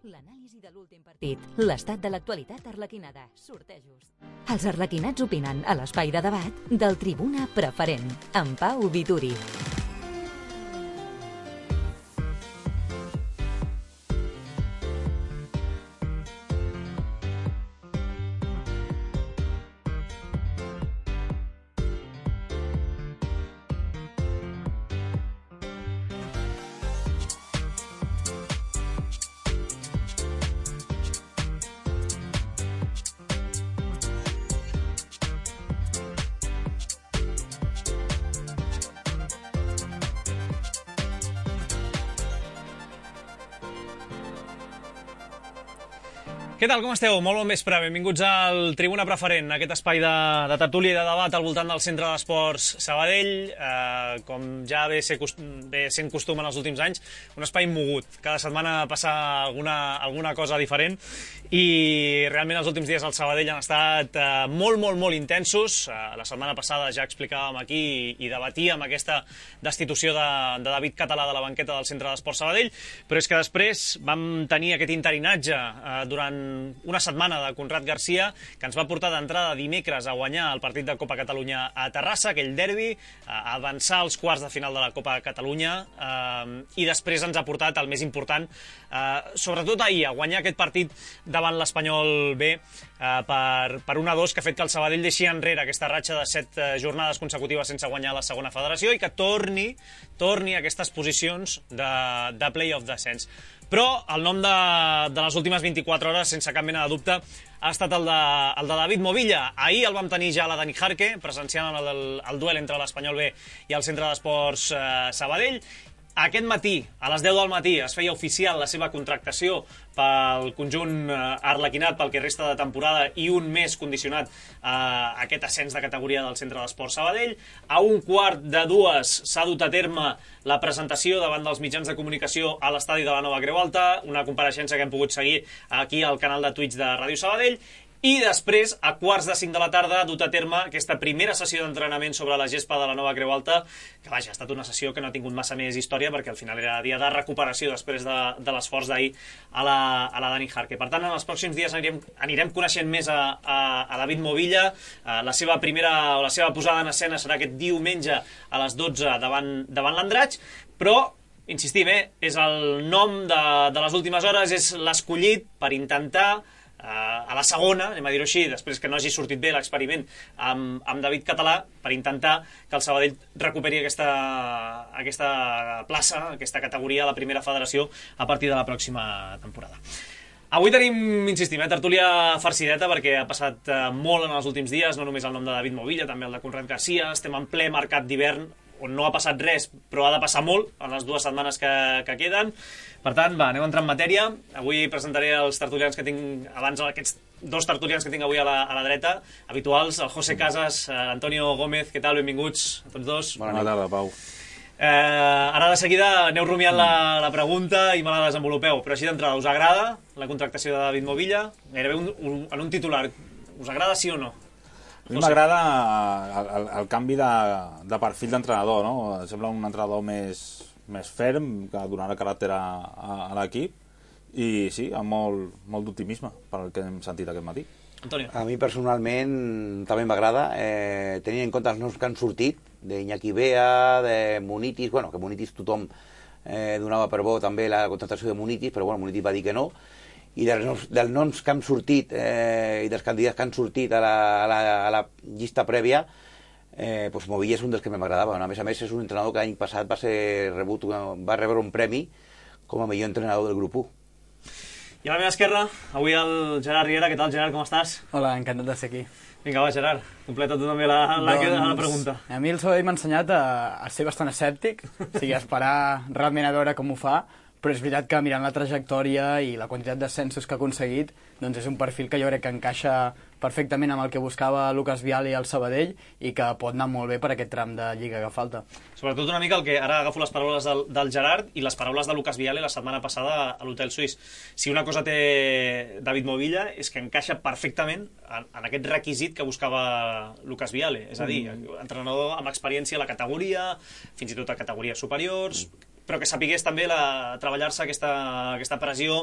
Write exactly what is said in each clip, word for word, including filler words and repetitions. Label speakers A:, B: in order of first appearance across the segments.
A: L'anàlisi de l'últim partit, l'estat de l'actualitat arlequinada, sortejos. Els arlequinats opinen a l'espai de debat del Tribuna Preferent, amb Pau Vituri.
B: Què tal, com esteu? Molt bon vespre, benvinguts al Tribuna Preferent, aquest espai de, de tertúlia i de debat al voltant del Centre d'Esports Sabadell, eh, com ja ve, ser, ve sent costum en els últims anys, un espai mogut. Cada setmana passa alguna, alguna cosa diferent i realment els últims dies al Sabadell han estat eh, molt, molt, molt intensos. Eh, la setmana passada ja explicàvem aquí i, i debatíem aquesta destitució de, de David Català de la banqueta del Centre d'Esports Sabadell, però és que després vam tenir aquest interinatge eh, durant una setmana de Conrad Garcia, que ens va portar d'entrada dimecres a guanyar el partit de Copa Catalunya a Terrassa, aquell derbi, a avançar als quarts de final de la Copa Catalunya, eh, i després ens ha portat el més important, eh, sobretot ahir, a guanyar aquest partit davant l'Espanyol B eh, per, per un a dos, que ha fet que el Sabadell deixi enrere aquesta ratxa de set eh, jornades consecutives sense guanyar la segona federació i que torni, torni a aquestes posicions de, de play-off descens. Però el nom de, de les últimes vint-i-quatre hores, sense cap mena de dubte, ha estat el de, el de David Movilla. Ahir el vam tenir ja a la Dani Jarque, presenciant el, el, el duel entre l'Espanyol B i el Centre d'Esports eh, Sabadell. Aquest matí, a les deu del matí, es feia oficial la seva contractació pel conjunt arlequinat pel que resta de temporada i un mes condicionat a aquest ascens de categoria del Centre d'Esports Sabadell. A un quart de dues s'ha dut a terme la presentació davant dels mitjans de comunicació a l'estadi de la Nova Creu Alta, una compareixença que hem pogut seguir aquí al canal de Twitch de Ràdio Sabadell. I després, a quarts de cinc de la tarda, ha dut a terme aquesta primera sessió d'entrenament sobre la gespa de la Nova Creu Alta, que vaja, ha estat una sessió que no ha tingut massa més història, perquè al final era dia de recuperació després de, de l'esforç d'ahir a la, a la Dani Jarque. Per tant, en els pròxims dies anirem, anirem coneixent més a, a, a David Movilla. La seva primera o la seva posada en escena serà aquest diumenge a les dotze davant, davant l'Andratx, però insistim, eh, és el nom de, de les últimes hores, és l'escollit per intentar Uh, a la segona, anem a dir-ho així, després que no hagi sortit bé l'experiment amb, amb David Català, per intentar que el Sabadell recuperi aquesta, aquesta plaça, aquesta categoria a la primera federació a partir de la pròxima temporada. Avui tenim, insistim, eh, tertúlia farcideta, perquè ha passat uh, molt en els últims dies, no només el nom de David Movilla, també el de Conrad Garcia. Estem en ple mercat d'hivern, on no ha passat res, però ha de passar molt en les dues setmanes que, que queden. Per tant, va, anem a entrar en matèria. Avui presentaré els tertulians que tinc, abans aquests dos tertulians que tinc avui a la, a la dreta, habituals, el José Casas, Antonio Gómez. Què tal? Benvinguts a tots dos.
C: Bona tarda, Pau.
B: Eh, ara de seguida aneu rumiant la, la pregunta i me la desenvolupeu, però així d'entrada, us agrada la contractació de David Movilla? Gairebé un, un, en un titular, us agrada sí o no?
C: A mi m'agrada el, el, el canvi de, de perfil d'entrenador, no? Sembla un entrenador més, més ferm, que donarà caràcter a, a, a l'equip, i sí, amb molt, molt d'optimisme pel que hem sentit aquest matí.
B: Antonio.
D: A mi personalment també m'agrada, eh, tenint en compte els noms que han sortit, d'Iñaki Bea, de Munitis, bueno, que Munitis tothom eh, donava per bo també la contractació de Munitis, però bueno, Munitis va dir que no, i dels noms, dels noms que han sortit eh, i dels candidats que han sortit a la, a la, a la llista prèvia, eh, doncs Movilla és un dels que m'agradava. A més a més, és un entrenador que l'any passat va ser rebut, va rebre un premi com a millor entrenador del grup u.
B: I a la meva esquerra, avui el Gerard Riera. Què tal, Gerard, com estàs?
E: Hola, encantat de ser aquí.
B: Vinga, va, Gerard, completa tu també la, la, doncs, la pregunta.
E: A mi el Sabadell m'ha ensenyat a, a ser bastant escèptic, o sigui, a esperar realment a veure com ho fa, però és veritat que mirant la trajectòria i la quantitat d'ascensos que ha aconseguit, doncs és un perfil que jo crec que encaixa perfectament amb el que buscava Lucas Viale al Sabadell i que pot anar molt bé per aquest tram de Lliga que falta.
B: Sobretot una mica el que ara agafo les paraules del, del Gerard i les paraules de Lucas Viale la setmana passada a l'Hotel Suís. Si una cosa té David Movilla és que encaixa perfectament en, en aquest requisit que buscava Lucas Viale, és a dir, mm. entrenador amb experiència a la categoria, fins i tot a categories superiors, però que sapigués també la, treballar-se aquesta, aquesta pressió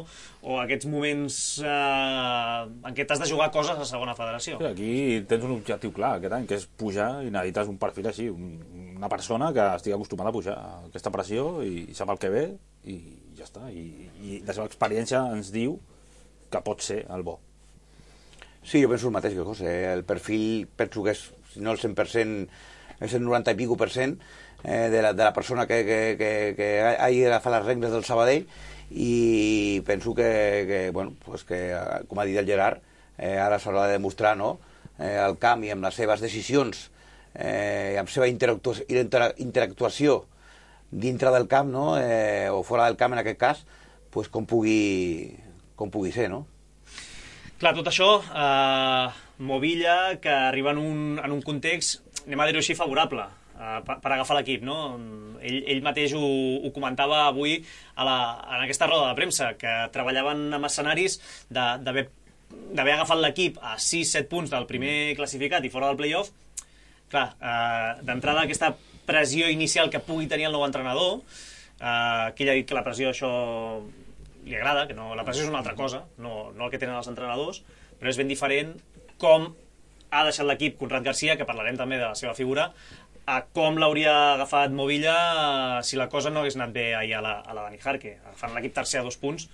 B: o aquests moments eh, en què t'has de jugar coses a segona federació.
C: Sí, aquí tens un objectiu clar aquest any, que és pujar, i necessites un perfil així, un, una persona que estigui acostumada a pujar a aquesta pressió i, i sap el que ve i ja està. I, i la seva experiència ens diu que pot ser el bo.
D: Sí, jo penso el mateix que José. El perfil penso que és, si no el cent per cent, és el noranta i pico per cent eh, de, la, de la persona que, que, que, que hagi agafat les regles del Sabadell, i penso que, que, bueno, pues que com ha dit el Gerard, eh, ara s'haurà de demostrar, no? eh, el camp i amb les seves decisions eh, i amb la seva interactuació, interactuació dintre del camp, no? eh, o fora del camp en aquest cas, pues com pugui, com pugui ser, no?
B: Clar, tot això, eh, Movilla, que arriba en un, en un context, anem a dir-ho així, favorable eh, per, per agafar l'equip, no? Ell, ell mateix ho, ho comentava avui a la, en aquesta roda de premsa, que treballaven amb escenaris d'haver d'haver agafat l'equip a sis set punts del primer classificat i fora del play-off. Clar, eh, d'entrada aquesta pressió inicial que pugui tenir el nou entrenador, eh, que ell ha dit que la pressió això li agrada, que no, la pressió és una altra cosa, no, no el que tenen els entrenadors, però és ben diferent com ha deixat l'equip Conrad Garcia, que parlarem també de la seva figura, a com l'hauria agafat Movilla si la cosa no hagués anat bé ahir a la, a la Dani Jarque, agafant l'equip tercer a dos punts.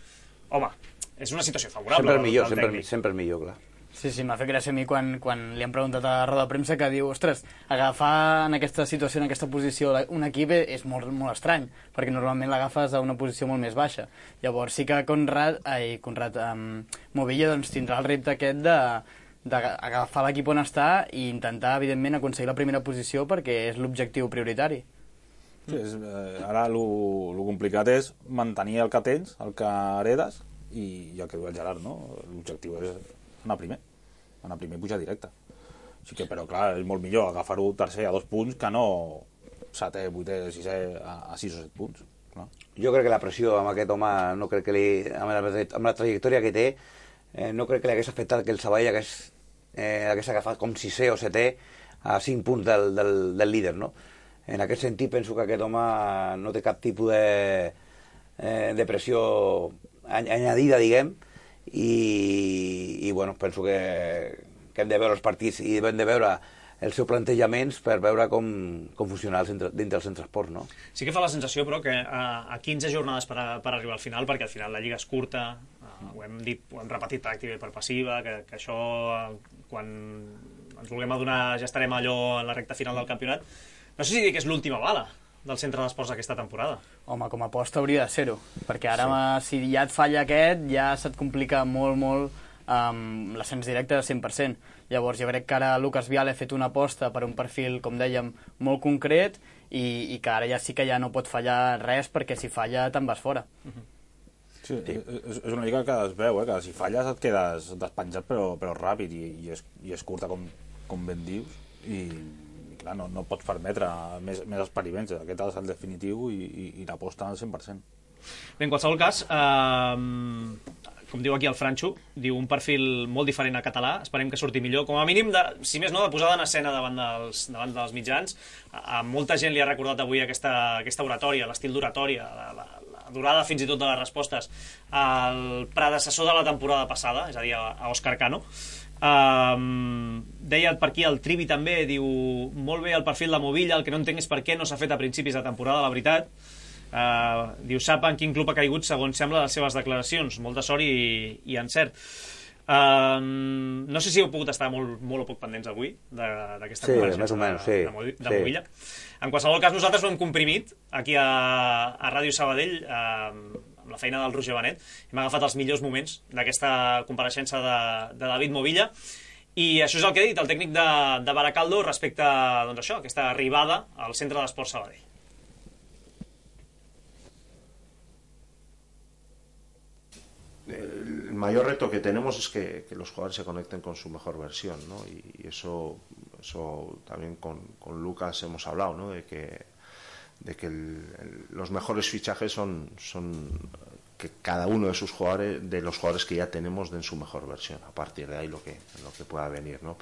B: Home, és una situació favorable.
D: Sempre és millor, sempre, sempre és millor, clar.
E: Sí, sí, m'ha fet gràcia a mi quan, quan li han preguntat a la roda de premsa, que diu, ostres, agafar en aquesta situació, en aquesta posició, un equip és molt, molt estrany, perquè normalment l'agafes a una posició molt més baixa. Llavors sí que Conrad, ai, Conrad, um, Movilla doncs, tindrà el repte aquest de d'agafar l'equip on està i intentar, evidentment, aconseguir la primera posició, perquè és l'objectiu prioritari.
C: Sí, és, eh, ara el complicat és mantenir el que tens, el que heredes, i ja que diu el Gerard, no? L'objectiu és anar primer, anar primer i pujar directe. Així que, però clar, és molt millor agafar-ho tercer a dos punts que no setè, vuitè, sisè a, a sis o set punts. No?
D: Jo crec que la pressió amb aquest home, no crec que li, amb, la, amb la trajectòria que té, eh, no crec que li hagués afectat que el Sabadell hagués, eh, hagués agafat com sisè o setè a cinc punts del, del, del líder, no? En aquest sentit penso que aquest home no té cap tipus de, eh, de pressió añadida, diguem, i, i bueno, penso que, que hem de veure els partits i hem de veure els seus plantejaments per veure com, com funciona el centre, dintre del centre esports, no?
B: Sí que fa la sensació, però, que a, a quinze jornades per, a, per arribar al final, perquè al final la lliga és curta, uh, ho hem dit, ho hem repetit per activa i per passiva, que, que això, uh, quan ens vulguem adonar, ja estarem allò en la recta final del campionat. No sé si dir que és l'última bala del centre d'esports aquesta temporada.
E: Home, com a aposta hauria de ser-ho, perquè ara sí. Si ja et falla aquest, ja se't complica molt, molt um, l'ascens directe de cent per cent. Llavors jo crec que ara Lucas Viale ha fet una aposta per un perfil, com dèiem, molt concret, i, i que ara ja sí que ja no pot fallar res, perquè si falla te'n vas fora.
B: Uh-huh.
C: Sí, sí. És, és una lliga que es veu, eh, que si falles et quedes despenjat però, però ràpid, i, i, és, i és curta, com, com ben dius, i clar, no, no pots permetre més, més experiments. Aquest és el definitiu i, i, i l'aposta al cent per cent.
B: Bé, en qualsevol cas, eh, com diu aquí el Franxo, diu un perfil molt diferent a català, esperem que surti millor, com a mínim, de, si més no, de posada en escena davant dels, davant dels mitjans. A, a molta gent li ha recordat avui aquesta, aquesta oratòria, l'estil d'oratòria, la, la, la durada fins i tot de les respostes al predecessor de la temporada passada, és a dir, a, a Òscar Cano. Um, deia per aquí el Trivi també, diu molt bé el perfil de Movilla, el que no entenc és per què no s'ha fet a principis de temporada, la veritat. Uh, diu, sap en quin club ha caigut segons sembla les seves declaracions, molta sort i, i encert. Um, no sé si heu pogut estar molt, molt o poc pendents avui d'aquesta
D: sí,
B: conversa
D: més o menys, sí,
B: de, de
D: sí.
B: Movilla. En qualsevol cas, nosaltres ho hem comprimit aquí a, a Ràdio Sabadell, uh, amb la feina del Roger Benet. Hem agafat els millors moments d'aquesta compareixença de, de David Movilla, i això és el que ha dit el tècnic de, de Baracaldo respecte a doncs això, aquesta arribada al centre d'esports Sabadell.
F: El mayor reto que tenemos es que, que los jugadores se conecten con su mejor versión, ¿no? Y, y eso, eso también con, con Lucas hemos hablado, ¿no? De que, de que el, el, los mejores fichajes son, son que cada uno de sus jugadores, de los jugadores que ya tenemos, den su mejor versión. A partir de ahí lo que, lo que pueda venir, ¿no?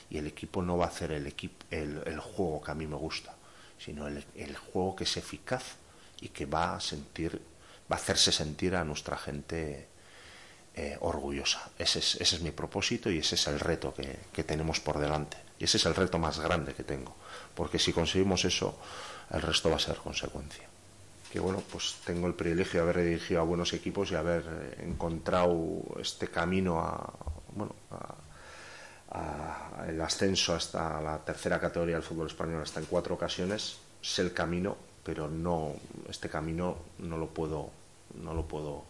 F: Y el equipo no va a hacer el, equipo, el, el juego que a mí me gusta, sino el, el juego que es eficaz y que va a sentir, va a hacerse sentir a nuestra gente eh, orgullosa. Ese es, ese es mi propósito y ese es el reto que, que tenemos por delante. Y ese es el reto más grande que tengo, porque si conseguimos eso, el resto va a ser consecuencia. Que bueno, pues tengo el privilegio de haber dirigido a buenos equipos y haber encontrado este camino a, bueno, a, a el ascenso hasta la tercera categoría del fútbol español hasta en cuatro ocasiones. Sé el camino, pero no, este camino no lo puedo, no lo puedo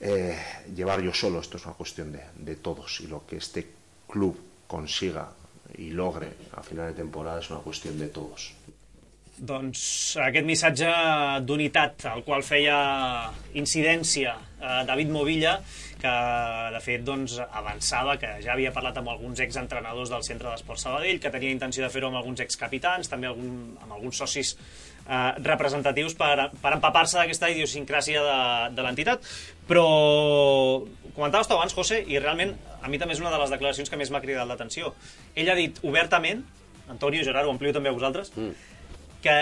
F: eh, llevar yo solo. Esto es una cuestión de, de todos, y lo que este club consiga i logre a final de temporada és una qüestió de tots.
B: Doncs aquest missatge d'unitat al qual feia incidència eh, David Movilla, que de fet doncs, avançava que ja havia parlat amb alguns exentrenadors del Centre d'Esports Sabadell, que tenia intenció de fer-ho amb alguns excapitans, també algun, amb alguns socis eh, representatius per, per empapar-se d'aquesta idiosincràsia de, de l'entitat. Però comentaves tu abans, José, i realment a mi també és una de les declaracions que més m'ha cridat l'atenció. Ell ha dit obertament, Antonio, Gerard, ho amplio també a vosaltres, mm. que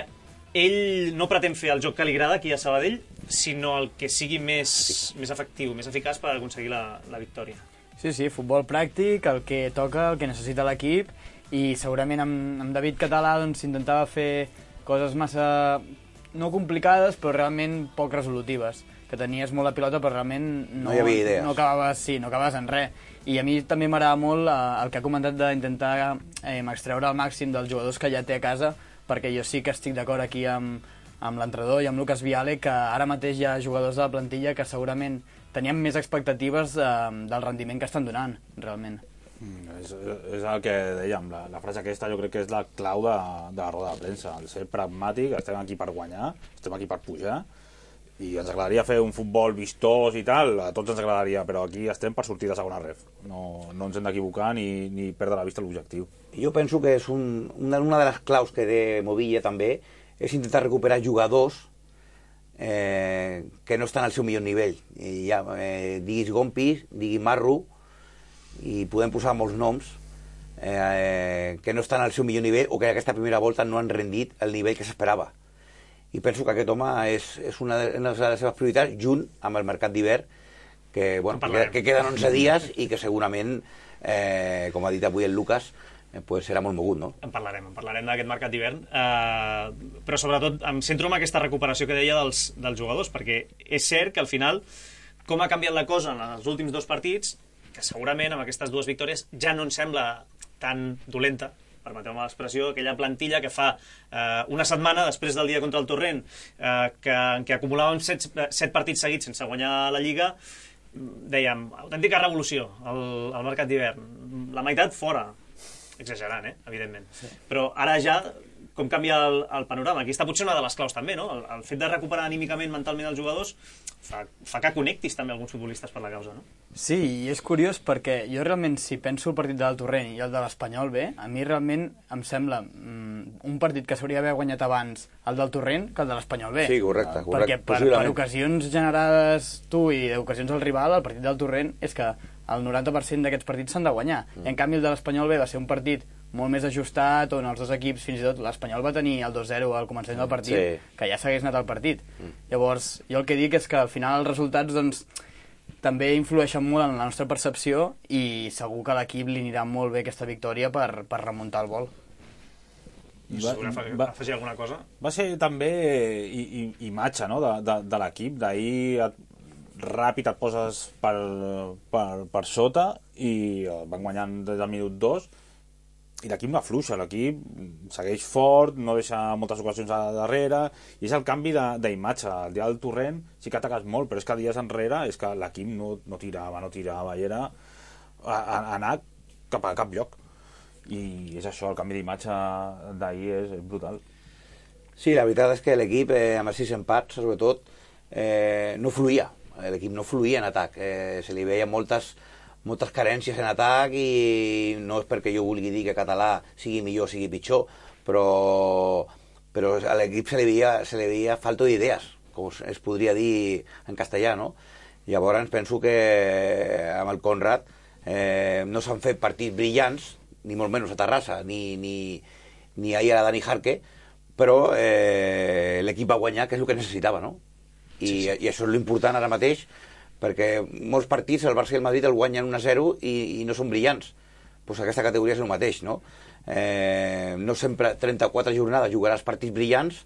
B: ell no pretén fer el joc que li agrada aquí a Sabadell, sinó el que sigui més, més efectiu, més eficaç per aconseguir la, la victòria.
E: Sí, sí, futbol pràctic, el que toca, el que necessita l'equip, i segurament amb, amb David Català doncs, intentava fer coses massa no complicades, però realment poc resolutives, que tenies molt la pilota però realment no,
D: no hi havia idees.
E: No acabaves, sí, no acabaves en res. I a mi també m'agrada molt eh, el que ha comentat d'intentar eh, extreure el màxim dels jugadors que ja té a casa, perquè jo sí que estic d'acord aquí amb, amb l'entrenador i amb Lucas Viale, que ara mateix hi ha jugadors de la plantilla que segurament tenien més expectatives eh, del rendiment que estan donant, realment.
C: Mm, és, és el que dèiem, la, la frase aquesta jo crec que és la clau de, de la roda de premsa, el ser pragmàtic, estem aquí per guanyar, estem aquí per pujar, i ens agradaria fer un futbol vistós i tal, a tots ens agradaria, però aquí estem per sortir de segona ref, no, no ens hem d'equivocar ni, ni perdre la vista l'objectiu.
D: Jo penso que és un, una, una de les claus que té Movilla també és intentar recuperar jugadors eh, que no estan al seu millor nivell. I ja, eh, diguis Gompi, diguis Marru, i podem posar molts noms eh, que no estan al seu millor nivell o que aquesta primera volta no han rendit el nivell que s'esperava. I penso que aquest home és, és una de les seves prioritats, junt amb el mercat d'hivern, que, bueno, que, que queden onze dies i que segurament, eh, com ha dit avui el Lucas, eh, pues serà molt mogut, no?
B: En parlarem, en parlarem d'aquest mercat d'hivern, eh, però sobretot em centro en aquesta recuperació que deia dels, dels jugadors, perquè és cert que al final, com ha canviat la cosa en els últims dos partits, que segurament amb aquestes dues victòries ja no ens sembla tan dolenta, permeteu-me l'expressió, aquella plantilla que fa eh, una setmana després del dia contra el Torrent, eh, que, en què acumulàvem set, set partits seguits sense guanyar la Lliga, dèiem, autèntica revolució al, al mercat d'hivern. La meitat fora, exagerant, eh? Evidentment. Sí. Però ara ja, com canvia el, el panorama? Aquí està potser una de les claus també, no? El, el fet de recuperar anímicament, mentalment els jugadors fa, fa que connectis també alguns futbolistes per la causa, no?
E: Sí, i és curiós perquè jo realment, si penso el partit del Torrent i el de l'Espanyol B, a mi realment em sembla mm, un partit que s'hauria d'haver guanyat abans el del Torrent que el de l'Espanyol B.
D: Sí, correcte. correcte
E: perquè per, per ocasions generades tu i ocasions al rival, el partit del Torrent és que el noranta per cent d'aquests partits s'han de guanyar. Mm. En canvi, el de l'Espanyol B va ser un partit molt més ajustat, on els dos equips, fins i tot l'Espanyol va tenir el dos zero al començament del partit, sí. que ja s'hagués anat al partit. Mm. Llavors, jo el que dic és que al final els resultats doncs, també influeixen molt en la nostra percepció i segur que a l'equip li anirà molt bé aquesta victòria per, per remuntar el vol.
B: I va, va afegir alguna cosa?
C: Va ser també i, i, imatge, no?, de, de, de l'equip. D'ahir ràpid et poses per, per, per sota i van guanyant des del minut dos, i l'equip no afluixa, l'equip segueix fort, no deixa moltes ocasions a darrere, i és el canvi d'imatge. El dia del Torrent sí que ataques molt, però és que dies enrere és que l'equip no, no tirava, no tirava, i era a, a anar cap a cap lloc. I és això, el canvi d'imatge d'ahir és, és brutal.
D: Sí, la veritat és que l'equip, eh, amb els sis empats, sobretot, eh, no fluïa. L'equip no fluïa en atac. Eh, se li veia moltes... moltes carències en atac, i no és perquè jo vulgui dir que Català sigui millor o sigui pitjor, però, però a l'equip se li veia, se li veia falta d'idees, com es podria dir en castellà, no? Llavors penso que amb el Conrad eh, no s'han fet partits brillants, ni molt menys a Terrassa, ni, ni, ni ahir a la Dani Jarque, però eh, l'equip va guanyar, que és el que necessitava, no? I, sí, sí. I això és l'important ara mateix, perquè molts partits el Barça i el Madrid el guanyen un a zero i, i no són brillants. Pues aquesta categoria és el mateix, no? Eh, no sempre trenta-quatre jornades jugaràs partits brillants,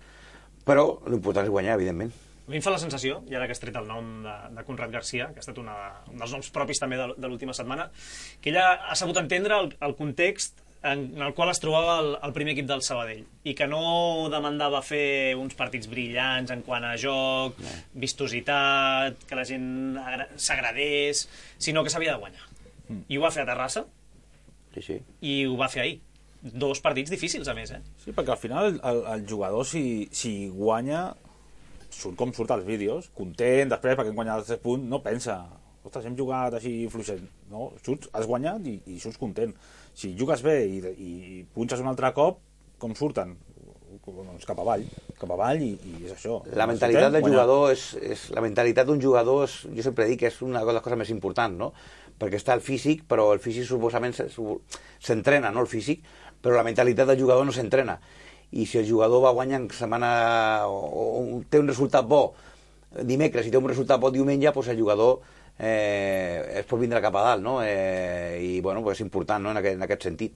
D: però l'important és guanyar, evidentment.
B: A mi em fa la sensació, i ara que has tret el nom de, de Conrad Garcia, que ha estat una, un dels noms propis també de, de l'última setmana, que ella ha sabut entendre el, el context en, en el qual es trobava el, el primer equip del Sabadell, i que no demandava fer uns partits brillants en quant a joc, no. vistositat, que la gent s'agradés, sinó que s'havia de guanyar. Mm. I ho va fer a Terrassa,
D: sí, sí.
B: i ho va fer ahir. Dos partits difícils, a més, eh?
C: Sí, perquè al final el, el jugador, si, si guanya, surt com surt als vídeos, content, després, perquè hem guanyat els tres punts, no pensa, ostres, hem jugat així fluixet, no? Surts, has guanyat i, i surts content. Si jugues bé i, i punxes un altre cop, com surten? Doncs cap avall, cap avall i, i és això.
D: La mentalitat del jugador és, és la mentalitat d'un jugador és, jo sempre dic que és una de les coses més importants, no? Perquè està el físic, però el físic suposament s'entrena, no el físic, però la mentalitat del jugador no s'entrena. I si el jugador va guanyant setmana o, o té un resultat bo dimecres i té un resultat bo diumenge, doncs el jugador eh, es pot vindre cap a dalt, no? Eh, I bueno, pues és important, no? en, aquest, en aquest sentit.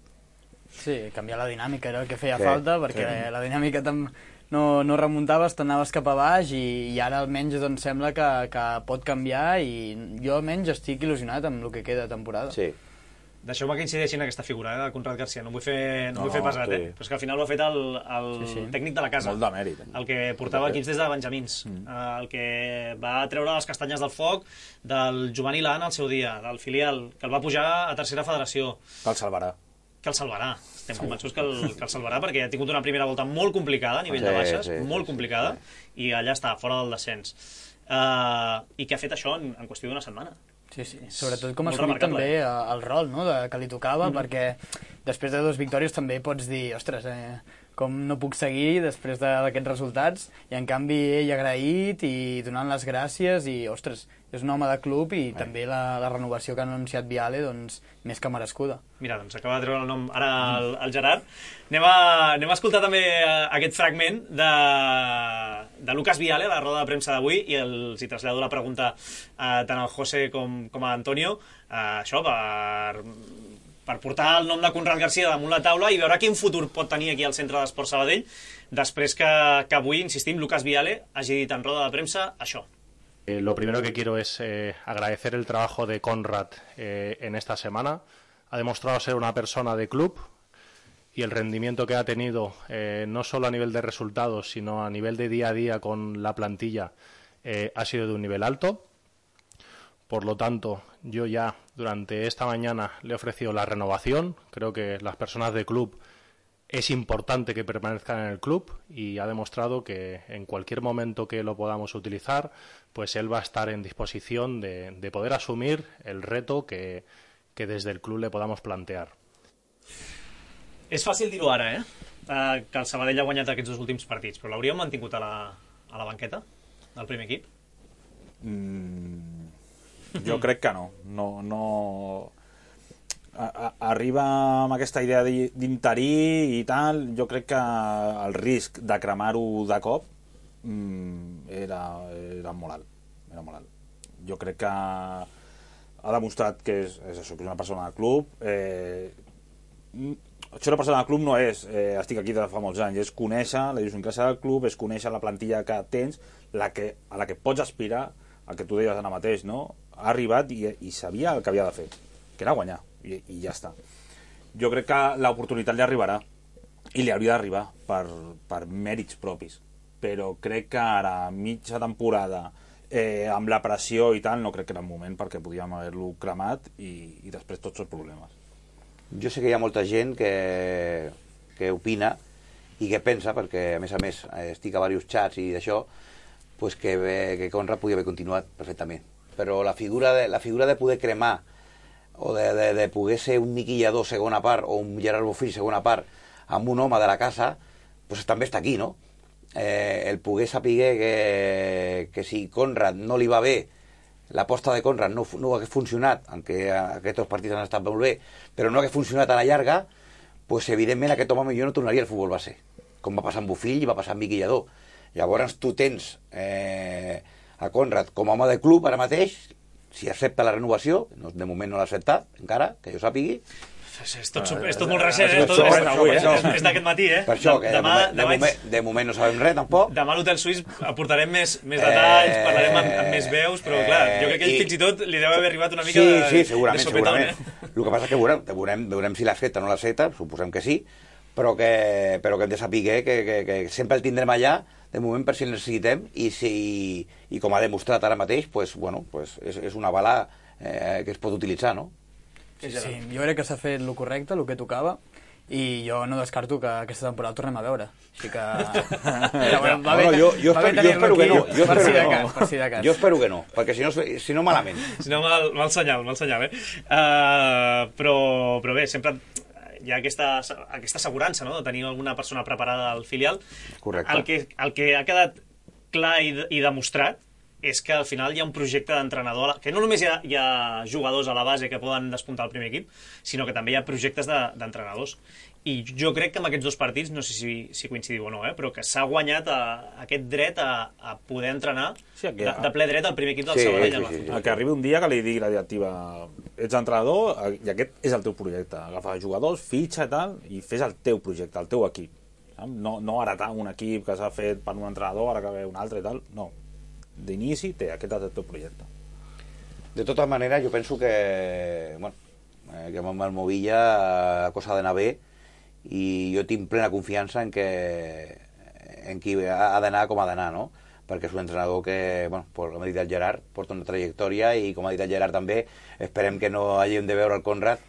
E: Sí, canviar la dinàmica era el que feia
D: sí,
E: falta, perquè sí. la dinàmica tam no, no remuntaves, t'anaves cap a baix i, i ara almenys doncs, sembla que, que pot canviar i jo almenys estic il·lusionat amb el que queda de temporada.
D: Sí.
B: Deixeu-me que incideixi en aquesta figura eh, de Conrad Garcia, no vull fer, no, no vull fer pesat, sí. eh? Però és que al final ho ha fet el, el sí, sí. tècnic de la casa.
C: Molt de mèrit.
B: El que portava equips des de Benjamins, mm. el que va treure les castanyes del foc del juvenil A en el seu dia, del filial, que el va pujar a tercera federació.
C: Que el salvarà.
B: Que el salvarà. Estem convençuts que el, que el salvarà perquè ha tingut una primera volta molt complicada a nivell sí, de baixes, sí, molt sí, complicada, sí. i allà està, fora del descens. Uh, I que ha fet això en, en qüestió d'una setmana.
E: Sí, sí. Sobretot com ha assumit també el rol, no?, de, que li tocava, mm-hmm. perquè després de dues victòries també pots dir, ostres, eh, com no puc seguir després d'aquests resultats, i en canvi ell agraït i donant les gràcies, i ostres, és un home de club i eh. també la, la renovació que ha anunciat Viale, doncs, més que merescuda.
B: Mira, doncs acaba de treure el nom ara el, el Gerard. Anem a, anem a escoltar també aquest fragment de, de Lucas Viale, a la roda de premsa d'avui, i els hi trasllado la pregunta eh, tant al José com, com a Antonio, eh, això per, per portar el nom de Conrad Garcia damunt la taula i veure quin futur pot tenir aquí al Centre d'Esports Sabadell, després que, que avui, insistim, Lucas Viale hagi dit en roda de premsa això.
G: Eh, lo primero que quiero es eh, agradecer el trabajo de Conrad eh, en esta semana. Ha demostrado ser una persona de club y el rendimiento que ha tenido, eh, no solo a nivel de resultados, sino a nivel de día a día con la plantilla, eh, ha sido de un nivel alto. Por lo tanto, yo ya durante esta mañana le he ofrecido la renovación. Creo que las personas de club es importante que permanezcan en el club y ha demostrado que en cualquier momento que lo podamos utilizar, pues él va a estar en disposición de, de poder asumir el reto que, que desde el club le podamos plantear.
B: És fàcil dir-ho ara, eh? Uh, que el Sabadell ha guanyat aquests dos últims partits, però l'hauríeu mantingut a la, a la banqueta del primer equip?
C: Mm, jo crec que no. No... no... A, a, arriba amb aquesta idea d'interí i tal, jo crec que el risc de cremar-ho de cop mm, era, era molt alt. Era molt alt. Jo crec que ha demostrat que és, és això, que és una persona del club. Eh, ser una persona del club no és eh, estic aquí de fa molts anys, és conèixer la idiosincràsia del club, és conèixer la plantilla que tens, la que, a la que pots aspirar, el que tu deies ara mateix, no? Ha arribat i, i sabia el que havia de fer, que era guanyar. I, i ja està. Jo crec que l'oportunitat li arribarà i li hauria d'arribar per, per mèrits propis, però crec que ara, mitja temporada, eh, amb la pressió i tal, no crec que era el moment perquè podíem haver-lo cremat i, i després tots els problemes.
D: Jo sé que hi ha molta gent que, que opina i que pensa, perquè a més a més estic a diversos xats i d'això, pues que, que Conrad podia haver continuat perfectament, però la figura de, la figura de poder cremar o de, de, de poder ser un niquillador segona part o un Gerard Bofill segona part amb un home de la casa, pues també està aquí, no? Eh, el poder saber que, que si Conrad no li va bé, l'aposta de Conrad no, no hagués funcionat, aunque aquests partits han estat molt bé, però no hagués funcionat a la llarga, pues evidentment aquest home millor no tornaria al futbol base, com va passar amb Bofill i va passar amb Miqui Lladó. Llavors tu tens eh, a Conrad com a home de club ara mateix, si accepta la renovació, no, de moment no l'ha acceptat encara, que jo sàpigui.
B: És tot, és tot molt recent, eh? Tot, és,
C: avui, eh?
B: és, és d'aquest matí, eh?
D: Per això, que de,
B: demà,
D: moment, de,
B: demà,
D: moment, de moment no sabem res, tampoc.
B: Demà a l'Hotel Suís aportarem més, més detalls,
D: Eh,
B: parlarem amb, amb més veus, però clar, jo crec que ell
D: i-
B: fins i tot li deu haver arribat una mica
D: Sí,
B: de,
D: sí, segurament,
B: de sopetón,
D: segurament.
B: eh?
D: El que passa és que veurem, veurem, veurem si l'accepta o no l'accepta, suposem que sí, però que, però que hem de saber que, que, que, que sempre el tindrem allà, de moment per si el necessitem, i, si, i com ha demostrat ara mateix, pues, bueno, pues és, és una bala eh, que es pot utilitzar, no?
E: Sí, sí, jo crec que s'ha fet el correcte, el que tocava, i jo no descarto que aquesta temporada el tornem a veure. Així que... Però, bueno, va bé,
D: Bueno, jo, jo,
E: va bé
D: espero, jo
E: tenir-lo
D: espero que no,
E: aquí,
D: jo
E: per
D: espero
E: si
D: que
E: de
D: no.
E: cas, per si de cas.
D: Jo espero que no, perquè si no, si no malament.
B: Si no, mal, mal senyal, mal senyal, eh? Uh, però, però bé, sempre hi ha aquesta, aquesta assegurança, no?, de tenir alguna persona preparada al filial.
D: Correcte.
B: El que, el que ha quedat clar i, i demostrat és que al final hi ha un projecte d'entrenador, que no només hi ha, hi ha jugadors a la base que poden despuntar el primer equip, sinó que també hi ha projectes d'entrenadors. De, I jo crec que amb aquests dos partits, no sé si, si coincidiu o no, eh, però que s'ha guanyat a, a aquest dret a, a poder entrenar
C: Sí, que-
B: de, de ple dret al primer equip del
D: Sí,
B: Sabadell.
D: sí,
B: Sí,
D: sí, sí.
C: El que arribi un dia que li digui la directiva ets entrenador i aquest és el teu projecte. Agafa jugadors, fitxa i tal, i fes el teu projecte, el teu equip. No, no heretar un equip que s'ha fet per un entrenador, ara que ve un altre i tal. No. D'inici té, aquest és el teu projecte.
D: De tota manera, jo penso que, bueno, eh, que amb el Movilla la cosa ha d'anar bé i jo tinc plena confiança en que en qui ha d'anar com ha d'anar, no? Perquè és un entrenador que, bueno, com ha dit el Gerard, porta una trajectòria i, com ha dit el Gerard també, esperem que no hàgim de veure el Conrad,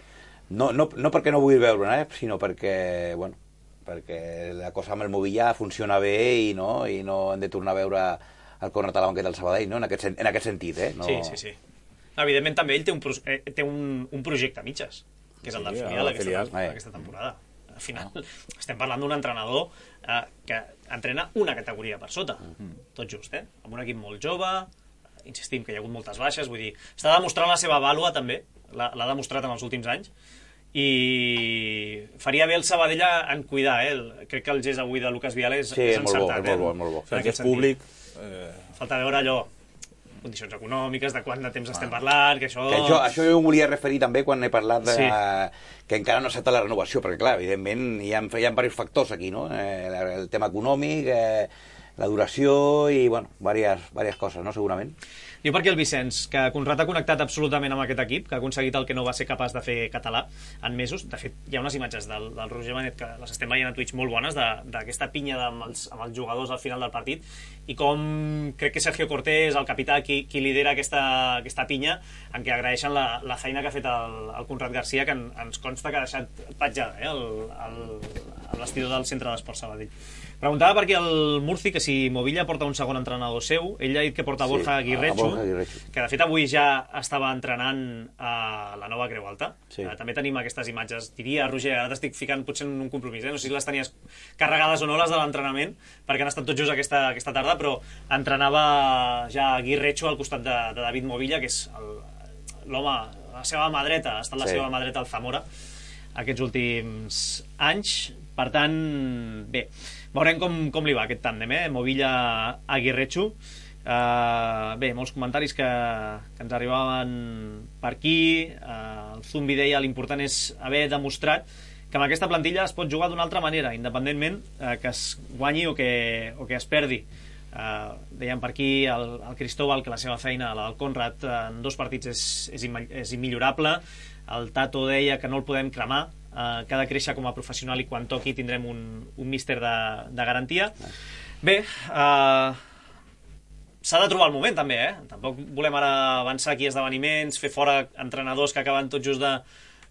D: no, no, no perquè no vull veure, eh, sinó perquè, bueno, perquè la cosa amb el Movilla funciona bé i no, i no hem de tornar a veure el Conrad a la banqueta del Sabadell, no? En aquest, sen- en aquest sentit, eh? No...
B: sí, sí, sí. Evidentment també ell té un, pro eh, té un, un projecte a mitges, que és el del
C: Sí,
B: filial,
C: el
B: aquesta,
C: filial.
B: tem- aquesta temporada. Al final estem parlant d'un entrenador eh, que entrena una categoria per sota, tot just, eh? Amb un equip molt jove, insistim que hi ha hagut moltes baixes, vull dir, està demostrant la seva vàlua també, l'ha l'ha demostrat en els últims anys, i faria bé el Sabadell en cuidar, eh? El, crec que el gest avui de Lucas Viales
D: Sí,
B: és
D: és molt bo,
B: encertat,
D: és molt bo,
B: eh?
D: és molt bo.
C: O sigui,
B: En
C: que
B: aquest
C: és públic... Eh,
B: Falta veure allò, condicions econòmiques, de quant de temps estem parlant, que això...
D: Que això, això jo em volia referir també quan he parlat de,
B: Sí.
D: que encara no accepta la renovació, perquè clar, evidentment hi ha, hi ha diversos factors aquí, no? Eh, el tema econòmic, eh, la duració i, bueno, diverses, diverses coses, no?, segurament.
B: Diu per aquí el Vicenç, que Conrad ha connectat absolutament amb aquest equip, que ha aconseguit el que no va ser capaç de fer català en mesos. De fet, hi ha unes imatges del, del Roger Benet que les estem veient a Twitch molt bones, d'aquesta pinya de, amb, els, amb els jugadors al final del partit, i com crec que Sergio Cortés, el capità, qui, qui lidera aquesta, aquesta pinya, en què agraeixen la, la feina que ha fet el, el Conrad Garcia, que en, ens consta que ha deixat petjada, eh, el, el, el vestidor del Centre d'Esports Sabadell. Preguntava per aquí el Murci que si Movilla porta un segon entrenador seu. Ell ha dit que porta
D: Sí,
B: Borja
D: a
B: Aguirrechu,
D: Borja Aguirrechu.
B: que de fet avui ja estava entrenant a la nova Creu Alta.
D: Sí.
B: Eh, també tenim aquestes imatges. Diria, Roger, ara t'estic ficant potser en un compromís, eh? No sé si les tenies carregades o no, les de l'entrenament, perquè han estat tot just aquesta, aquesta tarda, però entrenava ja Aguirrechu al costat de, de David Movilla, que és el- l'home, la seva mà dreta, ha estat la
D: Sí.
B: seva mà dreta al Zamora aquests últims anys. Per tant, bé, veurem com, com li va aquest tàndem, eh? Movilla-Aguirrechu. Uh, bé, molts comentaris que, que ens arribaven per aquí. Uh, el Zumbi deia l'important és haver demostrat que amb aquesta plantilla es pot jugar d'una altra manera, independentment uh, que es guanyi o que, o que es perdi. Uh, deien per aquí el, el Cristóbal que la seva feina, la del Conrad, en dos partits és, és, imma- és immillorable. El Tato deia que no el podem cremar, uh, que ha de créixer com a professional i quan toqui tindrem un, un míster de, de garantia. Bé, uh, s'ha de trobar el moment també, eh? Tampoc volem ara avançar aquí a esdeveniments, fer fora entrenadors que acaben tot just de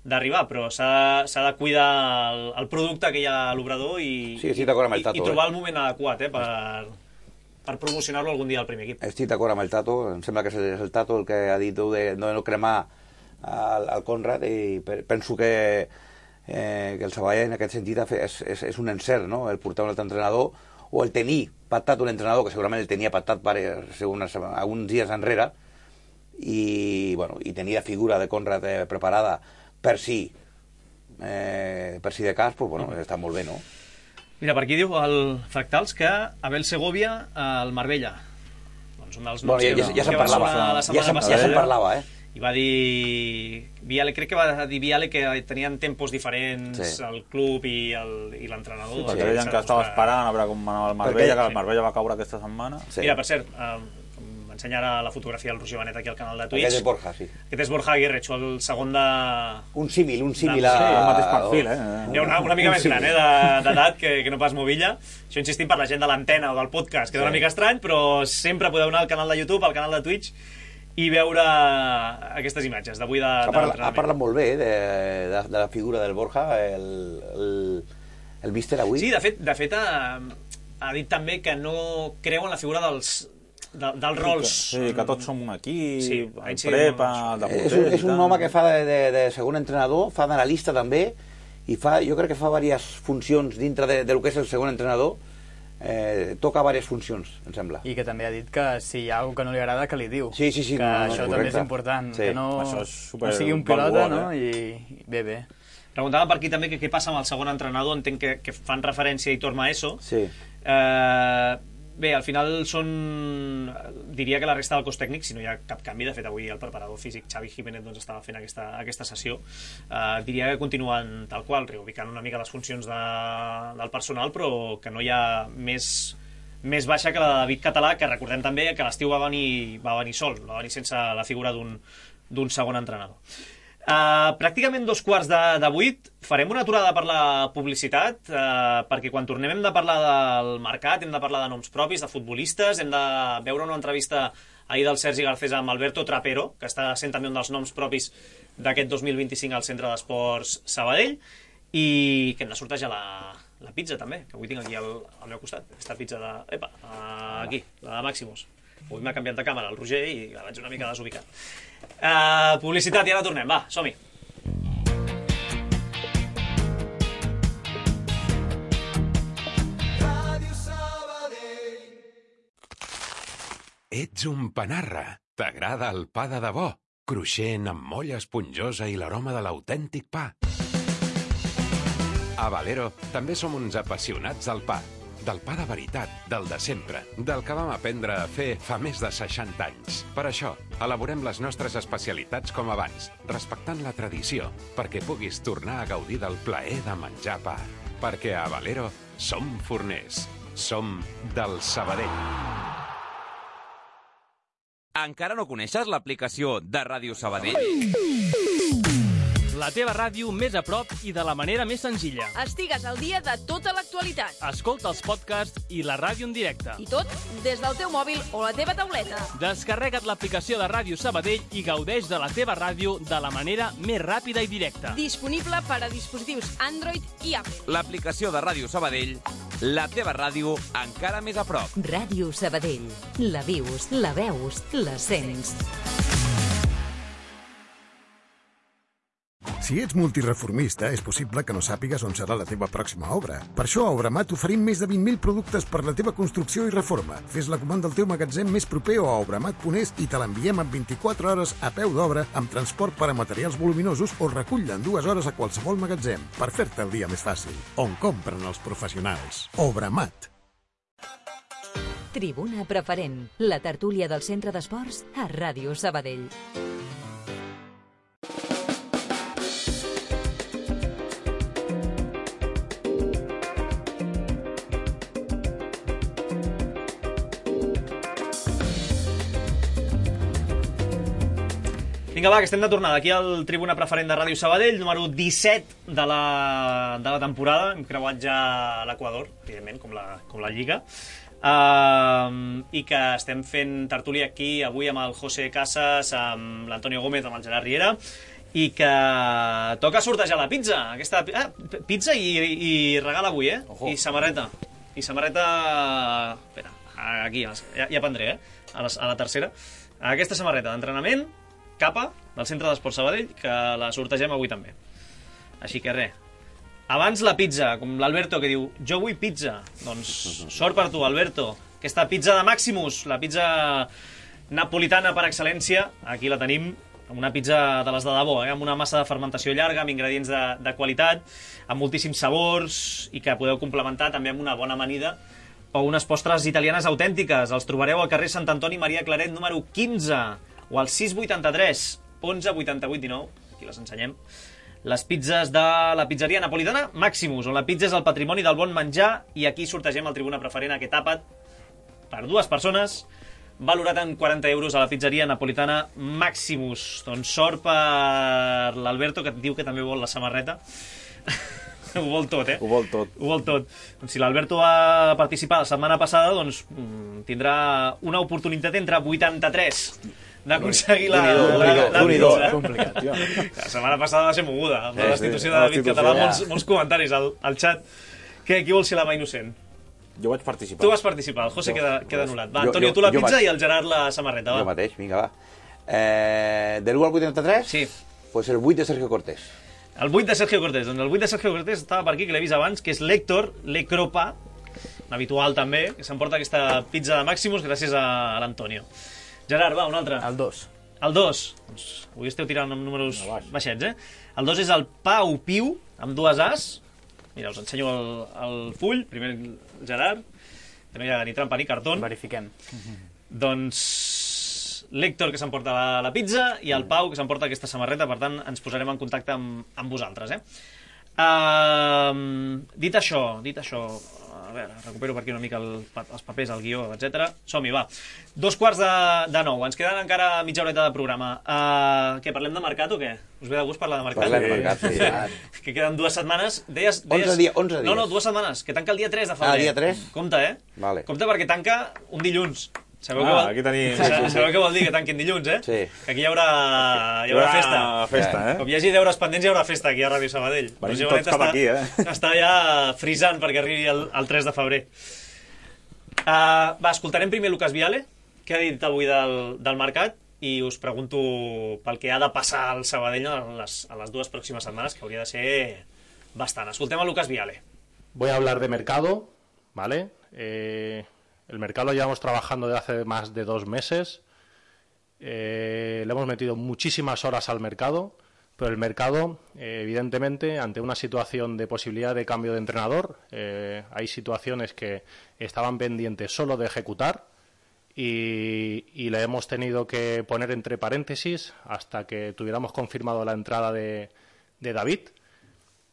B: d'arribar, però s'ha de cuidar el, el producte que hi ha a l'obrador i,
D: Sí, estic d'acord amb el
B: i,
D: Tato,
B: i trobar
D: eh?
B: el moment adequat, eh? per, per promocionar-lo algun dia al primer equip.
D: Estic d'acord amb el Tato, em sembla que és el Tato el que ha dit de no, no cremar al, al Conrad, i penso que, eh, que el Sabadell en aquest sentit és, és, és un encert, no?, el portar un altre entrenador o el tenir pactat un entrenador que segurament el tenia pactat per, unes, alguns dies enrere, i, bueno, i tenir la figura de Conrad eh, preparada per si eh, per si de cas, pues, bueno, està molt bé, no?
B: Mira, per aquí diu el Fractals que Abel Segovia al Marbella. Doncs un dels
D: Bueno, ja, ja, ja se'n parlava,
B: la
D: ja se'n ja se'n parlava, eh?
B: I va dir... Viale, crec que va dir Viale que tenien tempos diferents
D: Sí.
B: el club i el- i l'entrenador.
C: Sí, perquè deien que estava esperant a veure com anava el Marbella,
D: Perquè-
C: que el Marbella va caure aquesta setmana.
D: Sí.
B: Mira, per cert, eh, m'ensenya ara la fotografia del Roger Benet aquí al canal de Twitch.
D: Aquest és Borja, sí.
B: Aquest és Borja Aguirre, el segon de...
D: Un símil, un símil
B: Sí,
D: a...
C: el mateix perfil, eh?
B: Hi ha una, una mica
D: Un
B: més
D: símil.
B: gran, eh, de- d'edat que, que no pas Movilla. Això insistim per la gent de l'antena o del podcast, queda una
D: Sí.
B: mica estrany, però sempre podeu anar al canal de YouTube, al canal de Twitch, i veure aquestes imatges d'avui de,
D: Ha,
B: de
D: parla, ha
B: l'entrenament.
D: parlat molt bé de, de, de la figura del Borja, el, el, el míster avui.
B: Sí, de fet, de fet ha, ha dit també que no creu en la figura dels, de, dels rols.
C: Sí, que tots som un equip,
B: Sí,
C: el
B: així
C: prepa,
B: no-
C: el de
D: és, un, és un home que fa de, de, de segon entrenador, fa d'analista també, i fa, jo crec que fa diverses funcions dintre de, de lo que és el segon entrenador. Eh, toca diverses funcions, em sembla.
E: I que també ha dit que si hi ha alguna que no li agrada, que li diu.
D: Sí, sí, sí,
E: Que
D: no, no,
E: això
D: correcte.
E: també és important,
D: Sí.
E: que no,
C: Això és super
E: no sigui un pilota,
C: valuós,
E: no?
C: eh?
E: I, I bé, bé.
B: Preguntava per aquí també que què passa amb el segon entrenador, entenc que, que fan referència a Hitor Maeso.
D: Sí.
B: Eh, bé, al final són... Diria que la resta del cos tècnic, si no hi ha cap canvi, de fet avui el preparador físic Xavi Jiménez doncs, estava fent aquesta, aquesta sessió, eh, diria que continuen tal qual, reubicant una mica les funcions de, del personal, però que no hi ha més, més baixa que la de David Català, que recordem també que l'estiu va venir, va venir sol, va venir sense la figura d'un d'un segon entrenador. Uh, pràcticament dos quarts de, de vuit farem una aturada per la publicitat, uh, perquè quan tornem hem de parlar del mercat, hem de parlar de noms propis, de futbolistes, hem de veure una entrevista ahir del Sergi Garcés amb Alberto Trapero, que està sent també un dels noms propis d'aquest dos mil vint-i-cinc al Centre d'Esports Sabadell, i que hem de sortejar la, la pizza també, que avui tinc aquí al, al meu costat, aquesta pizza de... Epa, uh, aquí, la de Maximus. Avui m'ha canviat de càmera el Roger i la vaig una mica desubicat. Uh, publicitat i ara tornem, va, som-hi.
H: Ets un panarra. T'agrada el pa de debò, cruixent amb molla esponjosa i l'aroma de l'autèntic pa. A Valero també som uns apassionats del pa. Del pa de veritat, del de sempre, del que vam aprendre a fer fa més de seixanta anys. Per això, elaborem les nostres especialitats com abans, respectant la tradició, perquè puguis tornar a gaudir del plaer de menjar pa. Perquè a Valero som forners, som del Sabadell.
I: Encara no coneixes l'aplicació de Ràdio Sabadell?
J: La teva ràdio més a prop i de la manera més senzilla.
K: Estigues al dia de tota l'actualitat.
J: Escolta els podcasts i la ràdio en directe.
K: I tot des del teu mòbil o la teva tauleta.
J: Descarrega't l'aplicació de Ràdio Sabadell i gaudeix de la teva ràdio de la manera més ràpida i directa.
K: Disponible per a dispositius Android i Apple.
I: L'aplicació de Ràdio Sabadell, la teva ràdio encara més a prop.
A: Ràdio Sabadell. La vius, la veus, la sents.
L: Si ets multireformista, és possible que no sàpigues on serà la teva pròxima obra. Per això a Obramat oferim més de vint mil productes per la teva construcció i reforma. Fes la comanda al teu magatzem més proper o a obramat punt es i te l'enviem en vint-i-quatre hores a peu d'obra amb transport per a materials voluminosos o recull-la en dues hores a qualsevol magatzem per fer-te el dia més fàcil. On compren els professionals. Obramat.
A: Tribuna Preferent, la tertúlia del Centre d'Esports a Ràdio Sabadell.
B: Vinga, va, que estem de tornada aquí al Tribuna Preferent de Ràdio Sabadell, número disset de la, de la temporada. Hem creuat ja l'Equador, evidentment, com la, com la Lliga. Uh, I que estem fent tertúlia aquí avui amb el José Casas, amb l'Antonio Gómez, amb el Gerard Riera, i que toca sortejar la pizza. Aquesta, ah, pizza i, i regal avui, eh? Ojo. I samarreta. I samarreta... Espera, aquí, ja, ja prendré, eh? A la, a la tercera. Aquesta samarreta d'entrenament, capa, del Centre d'Esports Sabadell, que la sortegem avui també. Així que res. Abans la pizza, com l'Alberto que diu jo vull pizza. Doncs sort per tu, Alberto. Aquesta pizza de Maximus, la pizza napolitana per excel·lència, aquí la tenim amb una pizza de les de debò, eh? Amb una massa de fermentació llarga, amb ingredients de, de qualitat, amb moltíssims sabors, i que podeu complementar també amb una bona amanida o unes postres italianes autèntiques. Els trobareu al carrer Sant Antoni Maria Claret número quinze o al sis vuitanta-tres onze vuitanta-vuit dinou, aquí les ensenyem. Les pizzas de la pizzeria napolitana Maximus, on la pizza és el patrimoni del bon menjar, i aquí sortegem el Tribuna Preferent, aquest àpat per dues persones, valorat en quaranta euros a la pizzeria napolitana Maximus. Doncs sort per l'Alberto, que diu que també vol la samarreta. Ho vol tot, eh?
C: Ho vol tot.
B: Ho vol tot. Doncs si l'Alberto va participar la setmana passada, doncs tindrà una oportunitat entre vuitanta-tres d'aconseguir la, la, la, la pizza. Eh?
E: Complicat.
B: La setmana passada va ser moguda, amb la
C: Sí,
B: destitució
C: sí,
B: de
C: la
B: David
C: destitució,
B: Català,
C: ja.
B: molts, molts comentaris al, al xat. Que qui vol ser la mà innocent?
C: Jo vaig participar.
B: Tu vas participar, el José
D: Jo,
B: queda,
D: jo
B: queda
D: vaig-
B: anul·lat. Va,
D: jo-
B: Antonio,
D: jo-
B: tu la
D: jo
B: pizza
D: vaig-
B: i el Gerard la samarreta,
D: Jo
B: va.
D: mateix, vinga, va. Eh, de l'u al vuitanta-tres?
B: Sí.
D: Pues el vuit de Sergio Cortés.
B: El vuit de Sergio Cortés. Doncs el vuit de Sergio Cortés estava per aquí, que l'he vist abans, que és l'Héctor, l'Ecropa, un habitual també, que s'emporta aquesta pizza de Maximus gràcies a, a l'Antonio. Gerard, va, un altre.
E: El dos.
B: El dos. Doncs avui esteu tirant amb números baixets, eh? El dos és el Pau Piu, amb dues As. Mira, us ensenyo el, el full. Primer el Gerard, que no hi ha ni trampa ni cartó.
E: Verifiquem.
B: Doncs l'Héctor, que s'emporta la, la pizza, i el Pau, que s'emporta aquesta samarreta. Per tant, ens posarem en contacte amb, amb vosaltres, eh? Uh, dit això, dit això, a veure, recupero per aquí una mica el, els papers, el guió, etcètera. Som-hi, va. Dos quarts de, de nou. Ens queden encara mitja horeta de programa. Uh, què, parlem de mercat o què? Us ve de gust parlar de mercat?
D: Parlem de mercat, sí.
B: Que queden dues setmanes. Deies, deies...
D: onze dies, onze dies.
B: No, no, dues setmanes, que tanca el dia tres de febrer.
D: Ah, dia tres?
B: Compte, eh?
D: Vale.
B: Compte perquè tanca un dilluns. Sabeu,
C: Ah,
B: què vol...
C: aquí tenim-
B: Sa- Sabeu què vol dir que tanquin dilluns, eh?
D: Sí.
B: Que aquí hi haurà, hi haurà festa.
C: festa, eh?
B: Com hi hagi deures pendents, hi haurà festa aquí a Ràdio Sabadell.
C: Venim
B: Roger Bonet
C: tots cap
B: està-
C: aquí, eh?
B: Està ja frisant perquè arribi el, el tres de febrer. Uh, va, escoltarem primer Lucas Viale, que ha dit avui del, del mercat, i us pregunto pel que ha de passar al Sabadell a les, a les dues pròximes setmanes, que hauria de ser bastant. Escoltem a Lucas Viale.
G: Voy a hablar de mercado, ¿vale? Eh, el mercado lo llevamos trabajando desde hace más de dos meses. Eh, le hemos metido muchísimas horas al mercado, pero el mercado, eh, evidentemente, ante una situación de posibilidad de cambio de entrenador, eh, hay situaciones que estaban pendientes solo de ejecutar y, y le hemos tenido que poner entre paréntesis hasta que tuviéramos confirmado la entrada de, de David.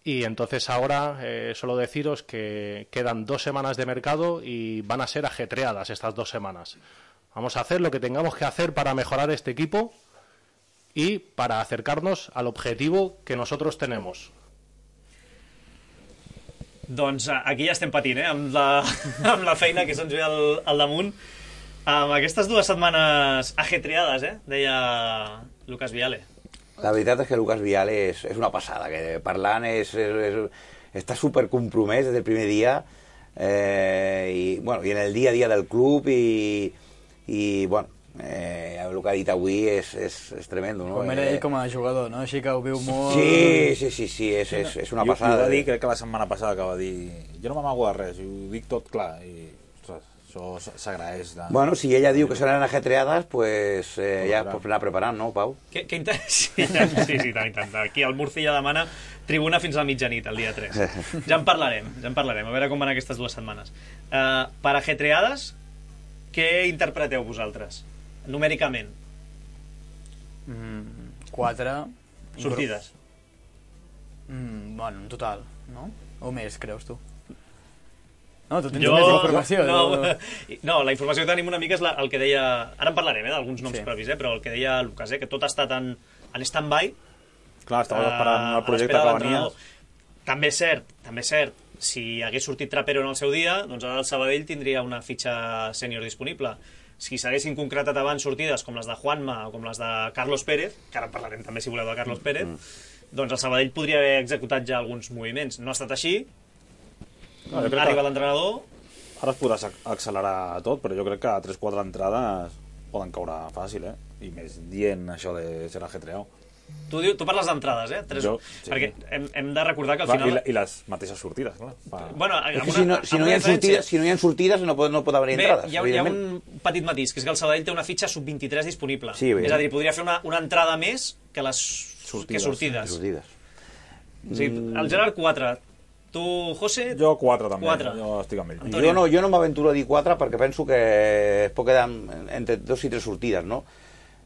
G: Y entonces ahora eh, solo deciros que quedan dos semanas de mercado y van a ser ajetreadas estas dos semanas. Vamos a hacer lo que tengamos que hacer para mejorar este equipo y para acercarnos al objetivo que nosotros tenemos.
B: Doncs eh, aquí ja estem patint, eh? Amb la, amb la feina que se'ns ve al, al damunt. Amb aquestes dues setmanes ajetreades, eh? Deia Lucas Viale.
D: La veritat és que Lucas Viale és, és una passada, que parlant és, és, és, està supercompromès des del primer dia eh, i, bueno, i en el dia a dia del club i, i bueno, eh, el que ha dit avui és, és, és tremendo, no?
E: Com era ell com a jugador, no? Així que ho viu molt...
D: Sí, sí, sí, sí és, és, és una
C: I ho-
D: passada.
C: I ho va dir, crec que la setmana passada que va dir jo no m'amago de res, i ho dic tot clar i ostres, això s'agraeix de...
D: Bueno, si ella diu que seran ajetreades, pues eh, ja es pot anar preparant, no, Pau?
B: Que, que inter... sí, sí, sí, tant, tant. Aquí el Murci ja demana tribuna fins a mitjanit, el dia tres. Ja en parlarem, ja en parlarem, a veure com van aquestes dues setmanes. Uh, per ajetreades, què interpreteu vosaltres, numèricament?
E: Mm, quatre...
B: Sortides.
E: Mm, bueno, en total, no? O més, creus tu? No, tu tens
B: Jo...
E: més informació.
B: No,
E: no,
B: no, la informació que tenim una mica és la, el que deia... Ara en parlarem, eh, d'alguns noms
E: Sí.
B: propis, eh, però el que deia Lucas, eh, que tot ha estat en, en stand-by.
C: Clar, estava esperant el
B: a
C: projecte
B: l'espera
C: que
B: de
C: venia.
B: l'entrenador. També és cert, també és cert, si hagués sortit Trapero en el seu dia, doncs ara el Sabadell tindria una fitxa sènior disponible. Si s'haguessin concretat abans sortides com les de Juanma o com les de Carlos Pérez, que ara en parlarem també si voleu de Carlos Pérez, mm. doncs el Sabadell podria haver executat ja alguns moviments. No ha estat així,
C: No, jo crec
B: arriba
C: que
B: l'entrenador...
C: ara es podrà ac- accelerar tot, però jo crec que tres quatre entrades poden caure fàcil, eh? I més dient això de ser ajetreado.
B: Tu, diu, tu parles d'entrades, eh? Tres...
C: Jo, sí.
B: Perquè hem, hem de recordar que al
C: Clar,
B: final...
C: I, la, I les mateixes sortides, clar. Pa...
B: Bueno,
D: és que si no, si, no hi ha sortides, si no hi ha sortides no pot, no pot haver
B: bé,
D: entrades.
B: Hi ha, hi ha un petit matís, que és que el Sabadell té una fitxa sub vint-i-tres disponible.
D: Sí,
B: és a dir, podria fer una, una entrada més que les sortides. Que sortides.
D: sortides.
B: O sigui, el Gerard quatre. Tu, José?
C: Jo quatre també,
B: quatre.
C: jo estic amb ell.
D: Jo no, jo no m'aventuro a dir quatre perquè penso que es pot quedar entre dos i tres sortides, no?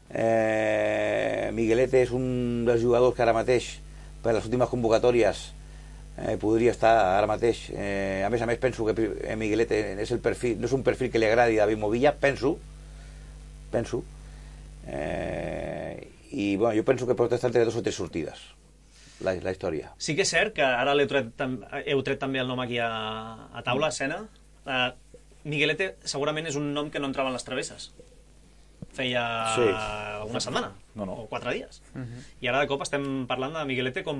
D: Eh, Miguelete és un dels jugadors que ara mateix, per les últimes convocatòries, eh, podria estar ara mateix. Eh, a més a més, penso que Miguelete és el perfil, no és un perfil que li agradi a David Movilla, penso, penso. Eh, I bueno, jo penso que pot estar entre dos o tres sortides, la, la història.
B: Sí que és cert que ara heu tret, heu tret també el nom aquí a, a taula, a escena. Uh, Miguelete segurament és un nom que no entrava en les travesses. Feia sí. una setmana, no, no. o quatre dies. Uh-huh. I ara de cop estem parlant de Miguelete com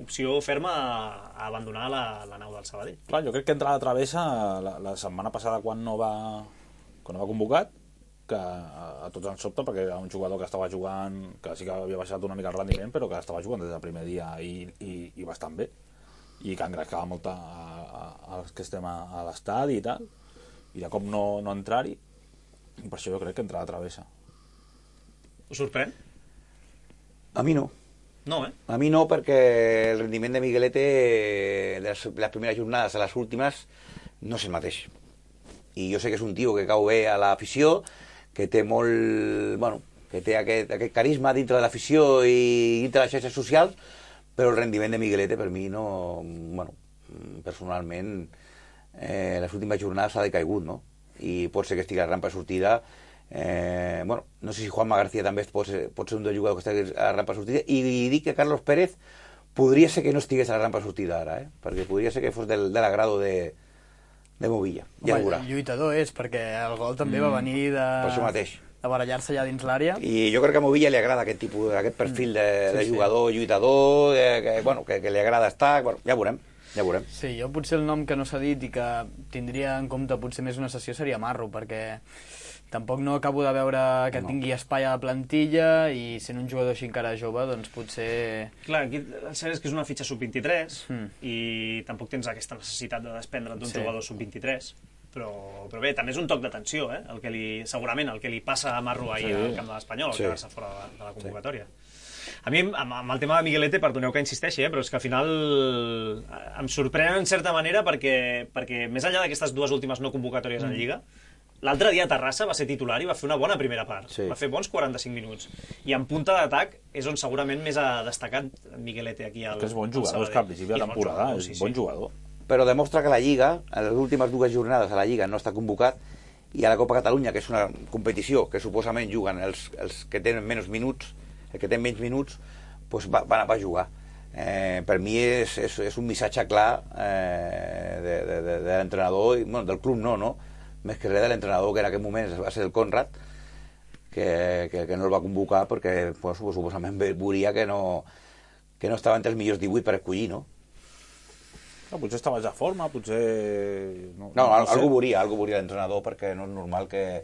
B: opció ferma a abandonar la, la nau del Sabadell.
C: Clar, jo crec que entra a la travessa la, la setmana passada quan no va, quan no va convocat, que a, a tots ens sobta perquè era un jugador que estava jugant, que sí que havia baixat una mica el rendiment, però que estava jugant des del primer dia i, i, i bastant bé. I que engrescava molt a, a, als que estem a, a l'estadi i tal. I de cop no, no entrar-hi. I per això jo crec que entra a la travessa.
B: Us sorprèn?
D: A mi no.
B: No, eh?
D: A mi no, perquè el rendiment de Miguelete de les, les primeres jornades a les últimes no és el mateix. I jo sé que és un tio que cau bé a l'afició, que té molt... Bueno, que té aquest, aquest carisma dintre de l'afició i dintre de les xarxes socials, però el rendiment de Miguelete per mi no... Bueno, personalment, eh, les últimes jornades ha decaigut, no? I pot ser que estigui a la rampa de sortida. Eh, bueno, no sé si Juanma García també pot ser, pot ser un dels jugadors que estigui a la rampa de sortida, i, i dic que Carlos Pérez podria ser que no estigués a la rampa de sortida ara, eh? Perquè podria ser que fos del, de l'agrado de, de Movilla. Ja
E: Home, el lluitador és, perquè el gol també mm, va venir de,
D: per això mateix.
E: de barallar-se allà dins l'àrea.
D: I jo crec que a Movilla li agrada aquest tipus, aquest perfil de, sí, de jugador, sí. lluitador, eh, que, bueno, que, que li agrada estar... Bueno, ja veurem. Ja veurem.
E: Sí, jo potser el nom que no s'ha dit i que tindria en compte potser més una sessió seria Marro, perquè tampoc no acabo de veure que no. tingui espai a la plantilla, i sent un jugador així encara jove, doncs potser...
B: Clar, aquí el cert és que és una fitxa sub vint-i-tres mm. i tampoc tens aquesta necessitat de desprendre't d'un sí. jugador sub vint-i-tres, però, però bé, també és un toc d'atenció, eh? El que li, segurament el que li passa a Marro ahir sí. al camp de l'Espanyol, sí. al quedar-se fora de la, de la convocatòria. Sí. A mi, amb, amb el tema de Miguelete, perdoneu que insisteixi, eh, però és que al final em sorprèn en certa manera perquè, perquè més enllà d'aquestes dues últimes no convocatòries mm. en Lliga, l'altre dia a Terrassa va ser titular i va fer una bona primera part. Sí. Va fer bons quaranta-cinc minuts. I en punta d'atac és on segurament més ha destacat Miguelete aquí al,
C: que és bon jugador, és que al principi de temporada és bon jugador.
D: Però demostra que la Lliga, a les últimes dues jornades a la Lliga no està convocat, i a la Copa Catalunya, que és una competició que suposament juguen els, els que tenen menys minuts, el que té menys minuts, doncs va, va, va jugar. Eh, per mi és, és, és un missatge clar eh, de, de, de, de l'entrenador, bueno, del club no, no? Més que res de l'entrenador, que en aquest moment va ser el Conrad, que, que, que no el va convocar perquè pues, suposament veuria que no, que no estava entre els millors divuit per escollir, no?
C: No, potser estava ja a forma, potser...
D: No, no, no algú veuria, algú veuria l'entrenador, perquè no és normal que,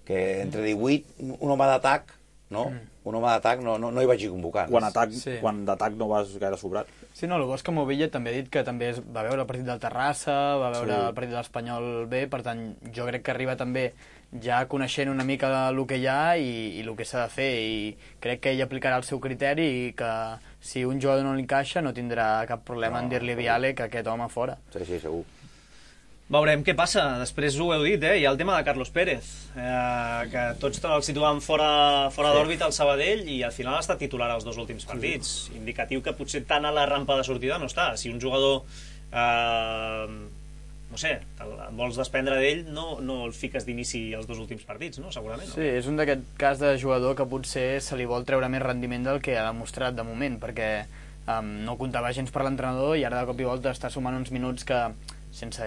D: que entre divuit un home d'atac, no? Mm. Un home d'atac no, no, no hi vagi convocant.
C: Quan, atac, sí. quan d'atac no vas gaire sobrat.
E: Sí, no, el bo és que Movilla també ha dit que també va veure el partit del Terrassa, va veure sí. el partit de l'Espanyol bé, per tant, jo crec que arriba també ja coneixent una mica el que hi ha i, i el que s'ha de fer, i crec que ell aplicarà el seu criteri i que si un jugador no li encaixa no tindrà cap problema no, en dir-li a Viale que aquest home fora.
D: Sí, sí, segur.
B: Veurem què passa. Després ho heu dit, eh? Hi ha el tema de Carlos Pérez, eh, que tots el situaven fora, fora sí. d'òrbita al Sabadell i al final ha estat titular als dos últims partits. Sí. Indicatiu que potser tant a la rampa de sortida no està. Si un jugador, eh, no sé, vols desprendre d'ell, no, no el fiques d'inici als dos últims partits, no? Segurament. No?
E: Sí, és un d'aquest cas de jugador que potser se li vol treure més rendiment del que ha demostrat de moment, perquè um, no comptava gens per l'entrenador i ara de cop i volta està sumant uns minuts que sense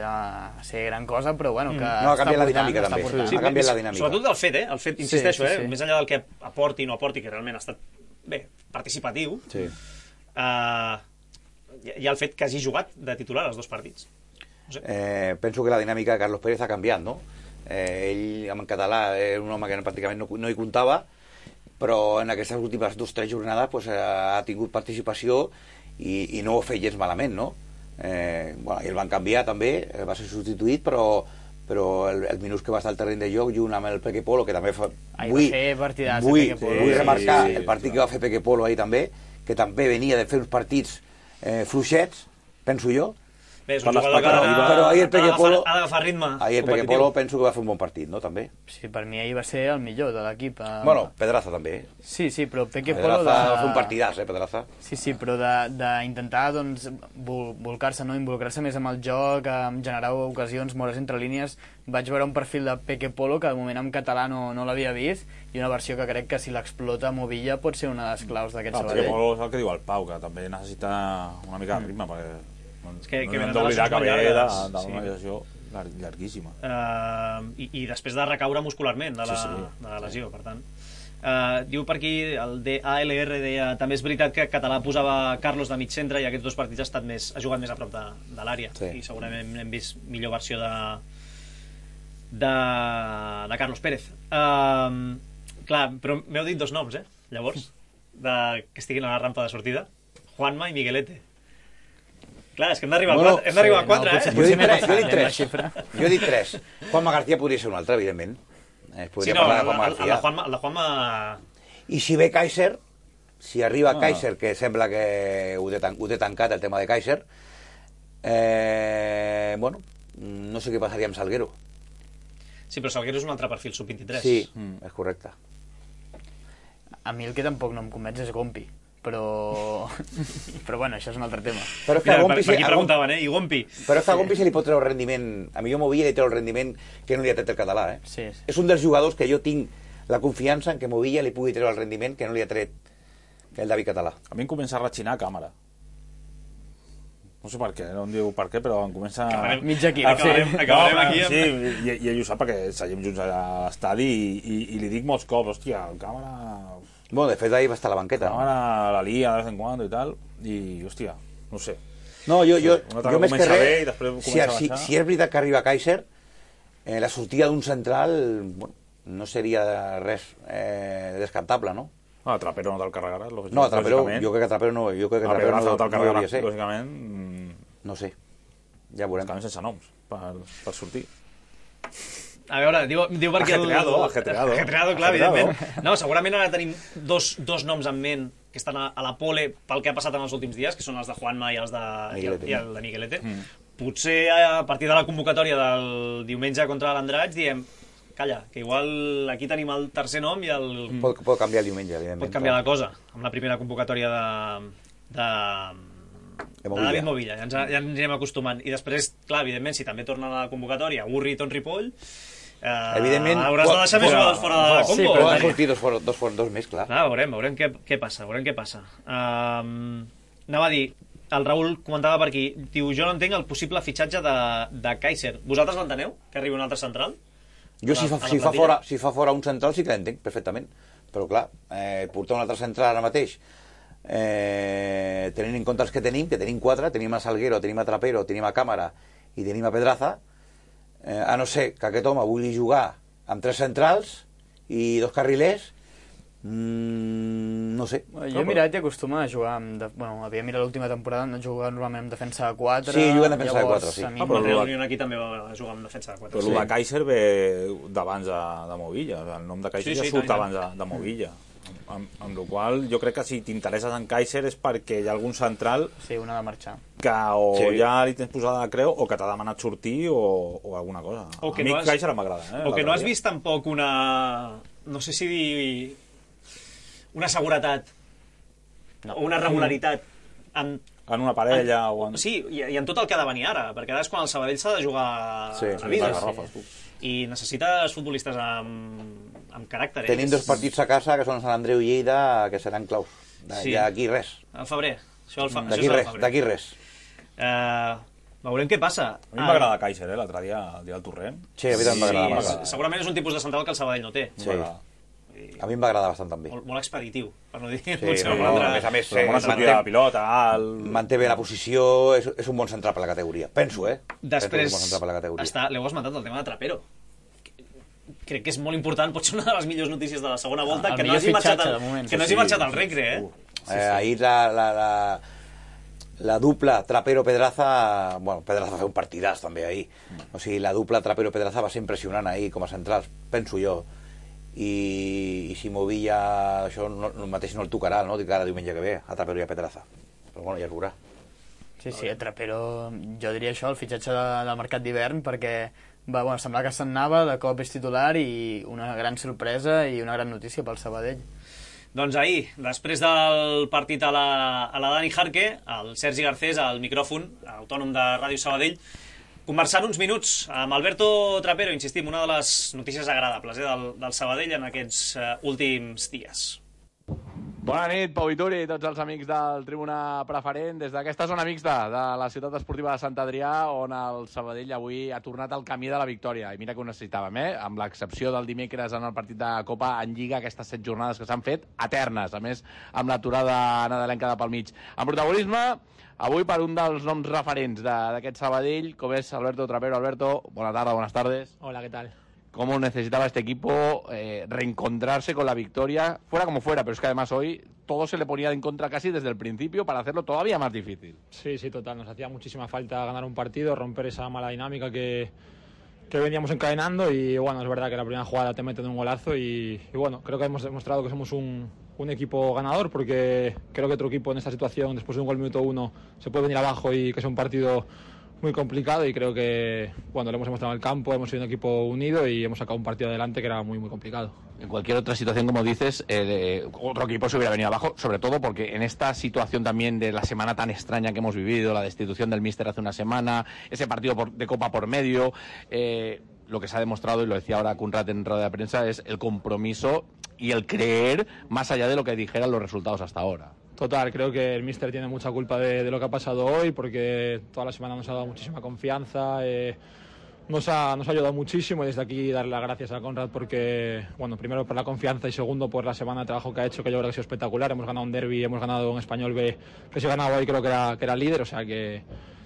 E: ser gran cosa, però bueno, que
D: no, ha canviat la dinàmica també, sí,
B: ha
D: canviat la dinàmica.
B: Sobretot del fet, eh? El fet, insisteixo, sí, sí, sí. eh? Més enllà del que aporti o no aporti, que realment ha estat, bé, participatiu,
D: sí.
B: uh, hi ha el fet que hagi jugat de titular els dos partits. No sé.
D: eh, penso que la dinàmica de Carlos Pérez ha canviat, no? Eh, ell, en català, era un home que pràcticament no, no hi comptava, però en aquestes últimes dues o tres jornades pues, ha tingut participació i, i no ho ha fet gens malament, no? Eh, bueno, i el van canviar també, va ser substituït, però, però el, el minut que va estar al terreny de joc junt amb el Peque Polo, que també fa...
E: Ahir
D: vull,
E: va fer partidàs
D: vull,
E: el Peque Polo.
D: vull remarcar
C: sí, sí,
D: el partit
C: sí.
D: que va fer Peque Polo ahir també, que també venia de fer uns partits eh, fluixets, penso jo.
B: Bé, és un jugador que ha
D: però ahir el Peque Polo
B: ha d'agafar ritme
D: ahir el Peque Polo penso que va fer un bon partit, no? També.
E: Sí, per mi ahir va ser el millor de l'equip.
D: Bueno, Pedraza també.
E: Sí, sí, però Peque
D: Pedraza
E: Polo... De...
D: va fer un partidàs, eh, Pedraza.
E: Sí, sí, però d'intentar doncs, vol, volcar-se, no? Involucrar-se més amb el joc, amb generar ocasions, moure's entre línies. Vaig veure un perfil de Peque Polo que de moment en català no, no l'havia vist i una versió que crec que si l'explota Movilla pot ser una de les claus d'aquest
C: ah,
E: Sabadell.
C: Peque Polo és el que diu el Pau, que també necessita una mica de ritme, mm. perquè
B: és que,
C: no
B: que
C: hem d'oblidar que ve d'una
B: sí.
C: lesió llarguíssima.
B: Uh, i, I després de recaure muscularment de la, sí, sí. de la lesió, per tant. Uh, diu per aquí, el D A L R deia, també és veritat que Català posava Carlos de mig centre i aquests dos partits ha, estat més, ha jugat més a prop de, de l'àrea sí. i segurament hem vist millor versió de de, de Carlos Pérez. Uh, clar, però m'heu dit dos noms, eh? Llavors, de, que estiguin a la rampa de sortida. Juanma i Miguelete. Clar, és que hem d'arribar bueno, a quatre, sí, a quatre no, eh?
D: Jo he dit tres, jo he dit tres. Jo he dit tres. Juanma García podria ser un altre, evidentment. Eh,
B: sí, no, el, el, el, de Juanma, el de Juanma...
D: I si ve Kaiser, si arriba ah. Kaiser, que sembla que ho té, tan, ho té tancat el tema de Kaiser, eh, bueno, no sé què passaria amb Salguero.
B: Sí, però Salguero és un altre perfil, sub vint-i-tres.
D: Sí, mm. és correcte.
E: A mi el que tampoc no em convenç és Gompi. Però... però bueno, això és un altre tema.
D: Però és que
B: Mira,
D: a Gompi...
B: Per, per aquí preguntaven, eh? I Gompi?
D: Però és que a Gompi se li pot treure el rendiment... A mi jo Movilla li treu el rendiment que no li ha tret el català, eh?
E: Sí, sí.
D: És un dels jugadors que jo tinc la confiança en que Movilla li pugui treure el rendiment que no li ha tret que el David Català.
C: A mi em comença a ratxinar a càmera. No sé per què, no em diu per què, però em comença...
B: Acabarem,
E: mig aquí.
B: Acabarem,
E: sí.
B: acabarem
C: no,
B: aquí. Amb...
C: Sí, i, i ell ho sap perquè seguim junts a l'estadi i, i, i li dic molts cops, hòstia, el càmera...
D: Bueno, de fet, ahí va estar a la banqueta.
C: La càmera la lia de vez en cuando i tal, i, hòstia, no sé.
D: No, jo, jo,
C: no
D: jo més que res,
C: si,
D: si, si és veritat que arriba Kaiser, eh, la sortida d'un central bueno, no seria res eh, descartable, no?
C: No, a Trapero no te'l carregaràs, lògicament.
D: No, a Trapero, jo crec que a Trapero no, jo crec que a Trapero no,
C: no,
D: no, no hauria de ser.
C: Lògicament...
D: No sé, ja veurem.
C: Lògicament sense noms, per, per sortir.
B: A veure, diu, diu perquè...
C: Ajetreado,
B: el...
C: ajetreado.
B: Ajetreado, clar, evidentment. No, segurament ara tenim dos, dos noms en ment que estan a, a la pole pel que ha passat en els últims dies, que són els de Juanma i els de, i el, i el de Miguelete. Mm. Potser a partir de la convocatòria del diumenge contra l'Andratx diem calla, que igual aquí tenim el tercer nom i el...
D: Pot, pot canviar el diumenge, evidentment.
B: Pot canviar la cosa, amb la primera convocatòria de... de... de David Movilla, ja ens, ja ens anem acostumant. I després, clar, evidentment, si també torna a la convocatòria Urri i Ton Ripoll, eh,
D: evidentment,
B: hauràs de deixar més jugadors fora de la combo.
D: Sí, però han sortit dos, dos, dos, dos més, clar.
B: Clar, veurem, veurem què, què passa, veurem què passa. Um, anava a dir, el Raül comentava per aquí, diu, jo no entenc el possible fitxatge de, de Kaiser. Vosaltres l'enteneu, que arribi un altre central?
D: Jo, si fa, si, fa fora, si fa fora un central, sí que l'entenc perfectament. Però, clar, eh, portar un altre central ara mateix, eh, tenint en compte els que tenim, que tenim quatre, tenim a Salguero, tenim a Trapero, tenim a Càmara i tenim a Pedraza, eh, a no ser que aquest home vulgui jugar amb tres centrals i dos carrilers, mm, no sé.
E: Jo he mirat i acostuma a jugar amb... De, bueno, havia mirat l'última temporada, no jugava normalment amb defensa de quatre.
D: Sí, juga en defensa de quatre, sí.
B: Ah, però el Real aquí també va jugar amb defensa de quatre.
C: Però sí. El de Kaiser ve d'abans de, de Movilla, el nom de Kaiser sí, sí, ja surt abans de, de Movilla. Amb, amb la qual jo crec que si t'interesses en Kaiser és perquè hi ha algun central
E: sí, una de marxar
C: que o
B: sí.
C: ja li tens posada de creu o que t'ha demanat sortir o, o alguna cosa.
B: O que
C: a mi
B: no has,
C: Kaiser m'agrada. Eh,
B: o que no has vist tampoc una... no sé si dir... una seguretat no. o una regularitat en,
C: en una parella
B: en,
C: o en...
B: sí, i, i en tot el que ha de venir ara, perquè ara és quan el Sabadell s'ha de jugar
C: sí,
B: a vida
C: sí.
B: i necessites futbolistes amb amb caràcter.
D: Tenim dos partits a casa que són Sant Andreu i Lleida que seran claus.
B: Sí.
D: D'aquí res.
B: Al febrer. Això el fa...
D: D'aquí res, d'aquí res.
B: Uh, veurem què passa.
C: A mi m'agrada Kaiser, eh, l'altre dia, el dia del Torrent.
D: Sí, a mi també
B: sí,
D: m'agrada.
B: Segurament és un tipus de central que el Sabadell no té.
D: Sí. A mi m'agrada bastant també.
B: Molt, molt expeditiu, per no dir...
D: Sí, no, no, a més a més,
C: eh, una sortida de pilota, el...
D: manté bé la posició, és, és un bon central per la categoria. Penso, eh?
B: Després,
D: Penso que és un bon central per la categoria.
B: està, l'heu esmentat el tema de Trapero. crec que és molt important, pot ser una de les millors notícies de la segona volta,
E: el
B: que no
E: millor
B: hagi marxat
E: fitxatge,
B: al,
E: de moment.
B: que no
D: Sí,
B: hagi marxat
D: sí,
B: al Recre, eh?
D: Uh, eh, ahir la, la, la, la dupla Trapero-Pedraza, bueno, Pedraza va fer un partidàs també ahir, o sigui, la dupla Trapero-Pedraza va ser impressionant ahir com a centrals, penso jo, i, i si Movilla això no, no, mateix no el tocarà, no? Cada diumenge que ve, a Trapero i a Pedraza, però bueno, ja es veurà.
E: Sí, sí, a Trapero, jo diria això, el fitxatge de, del mercat d'hivern, perquè va, bueno, semblar que se'n anava, de cop és titular i una gran sorpresa i una gran notícia pel Sabadell.
B: Doncs ahir, després del partit a la, a la Dani Jarque, el Sergi Garcés, al micròfon, autònom de Ràdio Sabadell, conversant uns minuts amb Alberto Trapero, insistim, una de les notícies agradables eh, del, del Sabadell en aquests uh, últims dies.
M: Bona nit, Pau Vituri i tots els amics del Tribuna Preferent. Des d'aquesta zona mixta de la ciutat esportiva de Sant Adrià, on el Sabadell avui ha tornat al camí de la victòria. I mira que ho necessitàvem, eh? Amb l'excepció del dimecres en el partit de Copa en Lliga, aquestes set jornades que s'han fet eternes, a més, amb l'aturada nadalenca de pel mig. En protagonisme, avui per un dels noms referents d'aquest Sabadell, com és Alberto Trapero. Alberto, bona tarda, buenas tardes.
N: Hola, ¿qué tal?
M: Cómo necesitaba este equipo eh, reencontrarse con la victoria, fuera como fuera, pero es que además hoy todo se le ponía en contra casi desde el principio para hacerlo todavía más difícil.
N: Sí, sí, total. Nos hacía muchísima falta ganar un partido, romper esa mala dinámica que, que veníamos encadenando y bueno, es verdad que la primera jugada te meten un golazo y, y bueno, creo que hemos demostrado que somos un, un equipo ganador porque creo que otro equipo en esta situación, después de un gol minuto uno, se puede venir abajo y que es un partido muy complicado y creo que cuando lo hemos demostrado en el campo hemos sido un equipo unido y hemos sacado un partido adelante que era muy muy complicado.
M: En cualquier otra situación, como dices, eh, otro equipo se hubiera venido abajo, sobre todo porque en esta situación también de la semana tan extraña que hemos vivido, la destitución del míster hace una semana, ese partido por, de Copa por medio, eh, lo que se ha demostrado, y lo decía ahora Conrad en rueda de prensa, es el compromiso y el creer más allá de lo que dijeran los resultados hasta ahora.
N: Total, creo que el míster tiene mucha culpa de, de lo que ha pasado hoy porque toda la semana nos ha dado muchísima confianza, eh, nos, ha, nos ha ayudado muchísimo y desde aquí darle las gracias a Conrad porque, bueno, primero por la confianza y segundo por la semana de trabajo que ha hecho, que yo creo que ha sido espectacular. Hemos ganado un derbi, hemos ganado un Español B que se ganaba hoy, creo que era, que era líder, o sea que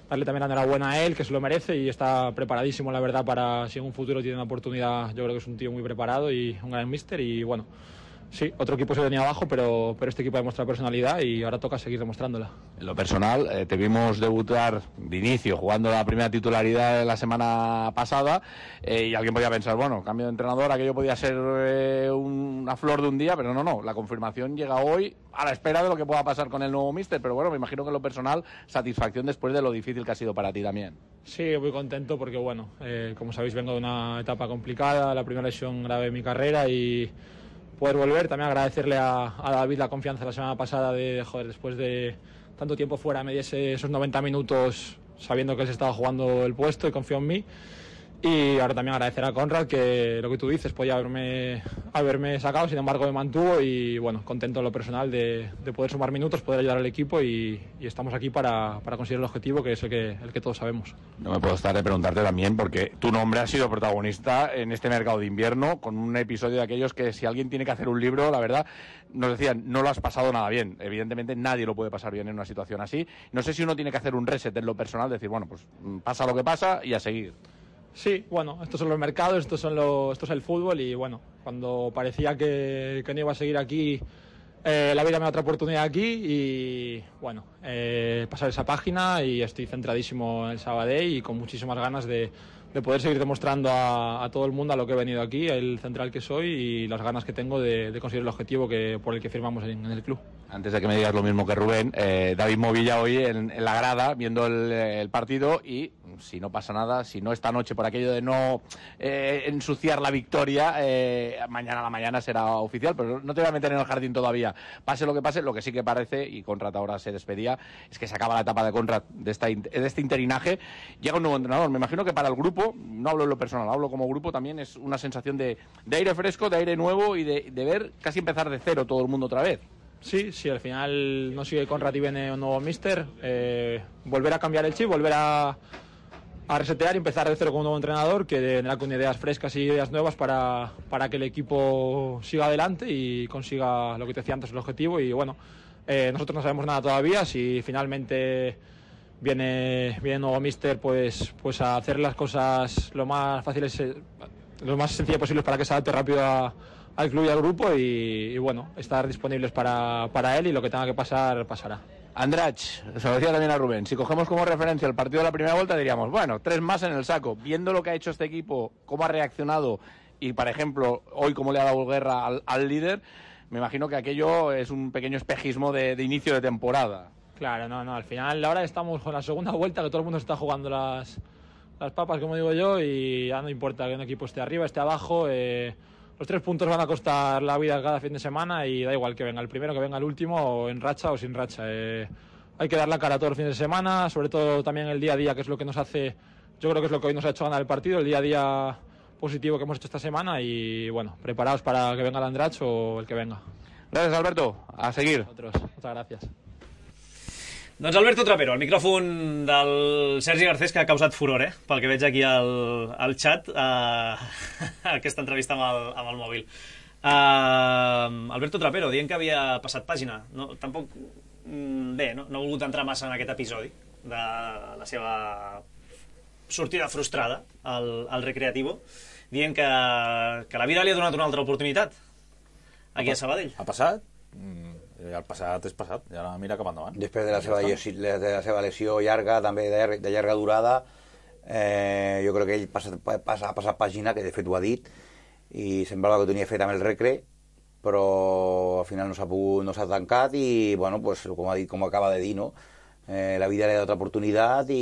N: darle también la enhorabuena a él, que se lo merece y está preparadísimo, la verdad, para si en un futuro tiene una oportunidad. Yo creo que es un tío muy preparado y un gran míster y bueno, sí, otro equipo se venía abajo, pero, pero este equipo ha demostrado personalidad y ahora toca seguir demostrándola.
M: En lo personal, eh, te vimos debutar de inicio, jugando la primera titularidad la semana pasada, eh, y alguien podía pensar, bueno, cambio de entrenador, aquello podía ser eh, una flor de un día, pero no, no, la confirmación llega hoy a la espera de lo que pueda pasar con el nuevo míster, pero bueno, me imagino que en lo personal, satisfacción después de lo difícil que ha sido para ti también.
N: Sí, muy contento porque, bueno, eh, como sabéis, vengo de una etapa complicada, la primera lesión grave de mi carrera y poder volver, también agradecerle a, a David la confianza la semana pasada de, joder, después de tanto tiempo fuera, me diese esos noventa minutos sabiendo que él se estaba jugando el puesto y confió en mí. Y ahora también agradecer a Conrad, que lo que tú dices, podía haberme, haberme sacado, sin embargo me mantuvo y bueno, contento en lo personal de, de poder sumar minutos, poder ayudar al equipo y, y estamos aquí para, para conseguir el objetivo, que es el que, el que todos sabemos.
M: No me puedo estar de preguntarte también, porque tu nombre ha sido protagonista en este mercado de invierno, con un episodio de aquellos que si alguien tiene que hacer un libro, la verdad, nos decían, no lo has pasado nada bien. Evidentemente nadie lo puede pasar bien en una situación así. No sé si uno tiene que hacer un reset en lo personal, decir, bueno, pues pasa lo que pasa y a seguir.
N: Sí, bueno, estos son los mercados, estos son los, esto es el fútbol y bueno, cuando parecía que, que no iba a seguir aquí, eh, la vida me da otra oportunidad aquí y bueno, eh, pasar esa página y estoy centradísimo en el Sabadell y con muchísimas ganas de, de poder seguir demostrando a, a todo el mundo a lo que he venido aquí, el central que soy y las ganas que tengo de, de conseguir el objetivo que, por el que firmamos en, en el club.
M: Antes de que me digas lo mismo que Rubén, eh, David Movilla hoy en, en la grada viendo el, el partido y si no pasa nada, si no esta noche por aquello de no eh, ensuciar la victoria, eh, mañana a la mañana será oficial, pero no te voy a meter en el jardín todavía. Pase lo que pase, lo que sí que parece, y Conrad ahora se despedía, es que se acaba la etapa de Conrad de, esta, de este interinaje, llega un nuevo entrenador. Me imagino que para el grupo, no hablo en lo personal, hablo como grupo, también es una sensación de, de aire fresco, de aire nuevo y de, de ver casi empezar de cero todo el mundo otra vez.
N: Sí, sí, al final no sigue Conrad y viene un nuevo míster, eh, volver a cambiar el chip, volver a, a resetear y empezar de cero con un nuevo entrenador que tendrá con ideas frescas y ideas nuevas para, para que el equipo siga adelante y consiga lo que te decía antes, el objetivo. Y bueno, eh, nosotros no sabemos nada todavía, si finalmente viene, viene un nuevo míster, pues, pues a hacer las cosas lo más fáciles lo más sencillo posible para que se adapte rápido a, al club y al grupo y, y bueno, estar disponibles para, para él y lo que tenga que pasar, pasará.
M: Andrach, se lo decía también a Rubén, si cogemos como referencia el partido de la primera vuelta diríamos, bueno, tres más en el saco. Viendo lo que ha hecho este equipo, cómo ha reaccionado y, por ejemplo, hoy cómo le ha dado guerra al, al líder, me imagino que aquello es un pequeño espejismo de, de inicio de temporada.
N: Claro, no, no, al final ahora estamos con la segunda vuelta, que todo el mundo está jugando las, las papas, como digo yo, y ya no importa que un equipo esté arriba, esté abajo, eh, los tres puntos van a costar la vida cada fin de semana y da igual que venga el primero, que venga el último, o en racha o sin racha. Eh, hay que dar la cara todo el fin de semana, sobre todo también el día a día, que es lo que nos hace, yo creo que es lo que hoy nos ha hecho ganar el partido, el día a día positivo que hemos hecho esta semana y bueno, preparados para que venga el Andrach o el que venga.
M: Gracias, Alberto. A seguir.
N: Otros. Muchas gracias.
B: Doncs Alberto Trapero, el micròfon del Sergi Garcés, que ha causat furor, eh? Pel que veig aquí al, al xat, uh, aquesta entrevista amb el, amb el mòbil. Uh, Alberto Trapero, dient que havia passat pàgina. No, tampoc, bé, no, no ha volgut entrar massa en aquest episodi de la seva sortida frustrada al, al Recreativo, dient que, que la vida li ha donat una altra oportunitat aquí a Sabadell.
C: Ha passat? Mm. El passat és passat, ja mira cap endavant.
D: Després de la seva, llesió, de la seva lesió llarga, també de, llarga, de llarga durada, eh, jo crec que ell passa, passa, ha passat pàgina, que de fet ho ha dit, i semblava que ho tenia fet amb el Recre, però al final no s'ha pogut, no s'ha tancat i, bueno, pues, com ha dit, com acaba de dir, no? Eh, la vida li ha donat oportunitat i,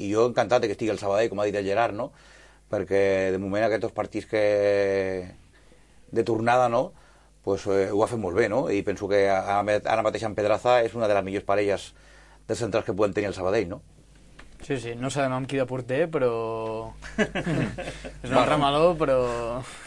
D: i jo encantat que estigui al Sabadell, com ha dit el Gerard, no? Perquè de moment aquests partits que de tornada, no? Pues, eh, ho ha fet molt bé, no? I penso que ara mateix en Pedraza és una de les millors parelles de centrals que podem tenir al Sabadell, no?
E: Sí, sí, no sabem amb qui de porter, però... és un remeló, però...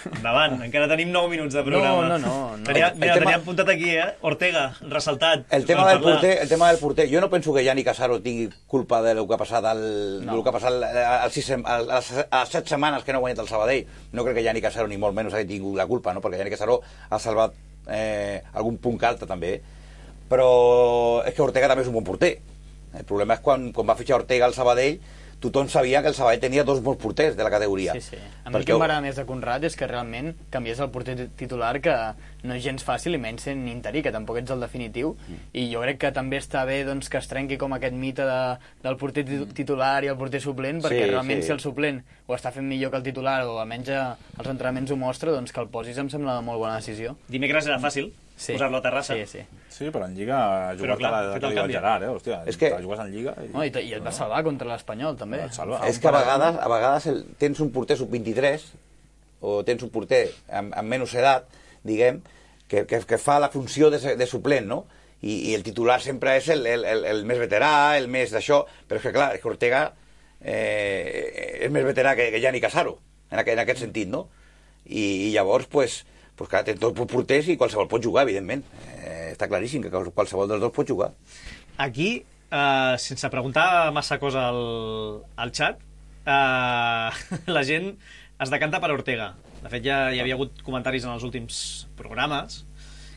B: Endavant, encara tenim nou minuts de programa.
E: No, no, no. no.
B: Tenia, mira, tema... teníem apuntat aquí, eh? Ortega, ressaltat.
D: El tema, del porter, el tema del porter, jo no penso que Yannick Casaro tingui culpa de lo que ha passat, al, no. lo que ha passat al sis, al, a, les, a les set setmanes que no ha guanyat el Sabadell. No crec que Yannick Casaro ni molt menys hagi tingut la culpa, no? Perquè Yannick Casaro ha salvat eh, algun punt alta també. Però és que Ortega també és un bon porter. El problema és quan, quan va fitxar Ortega al Sabadell, tothom sabia que el Sabadell tenia dos bons porters de la categoria.
E: Sí, sí. A mi el que m'agrada més de Conrad és que realment canvies el porter titular, que no és gens fàcil, i menys sent interí, que tampoc ets el definitiu, mm. i jo crec que també està bé doncs, que es trenqui com aquest mite de, del porter titular i el porter suplent, perquè sí, realment sí. Si el suplent ho està fent millor que el titular, o almenys els entrenaments ho mostra, doncs que el posis em sembla una molt bona decisió.
B: Dimecres era fàcil. Sí. Posar-lo a Terrassa.
E: Sí, sí.
C: Sí, però en Lliga ha jugat clar, a la que diu el Gerard, eh? Hòstia,
D: és que...
C: jugues en Lliga...
E: I, no, i, i et va salvar contra l'Espanyol, també.
D: És que a vegades, a vegades el, tens un porter sub vint-i-tres, o tens un porter amb, amb menys edat, diguem, que, que, que fa la funció de, de suplent, no? I, i el titular sempre és el, el, el, el més veterà, el més d'això, però és que, clar, és que Ortega eh, és més veterà que, que Yannick Casaro, en aquest, en aquest sentit, no? I, i llavors, pues... pues clar, tens dos porters i qualsevol pot jugar, evidentment. Eh, està claríssim que qualsevol dels dos pot jugar.
B: Aquí, eh, sense preguntar massa cosa al, al xat, eh, la gent es decanta per Ortega. De fet, ja hi havia hagut comentaris en els últims programes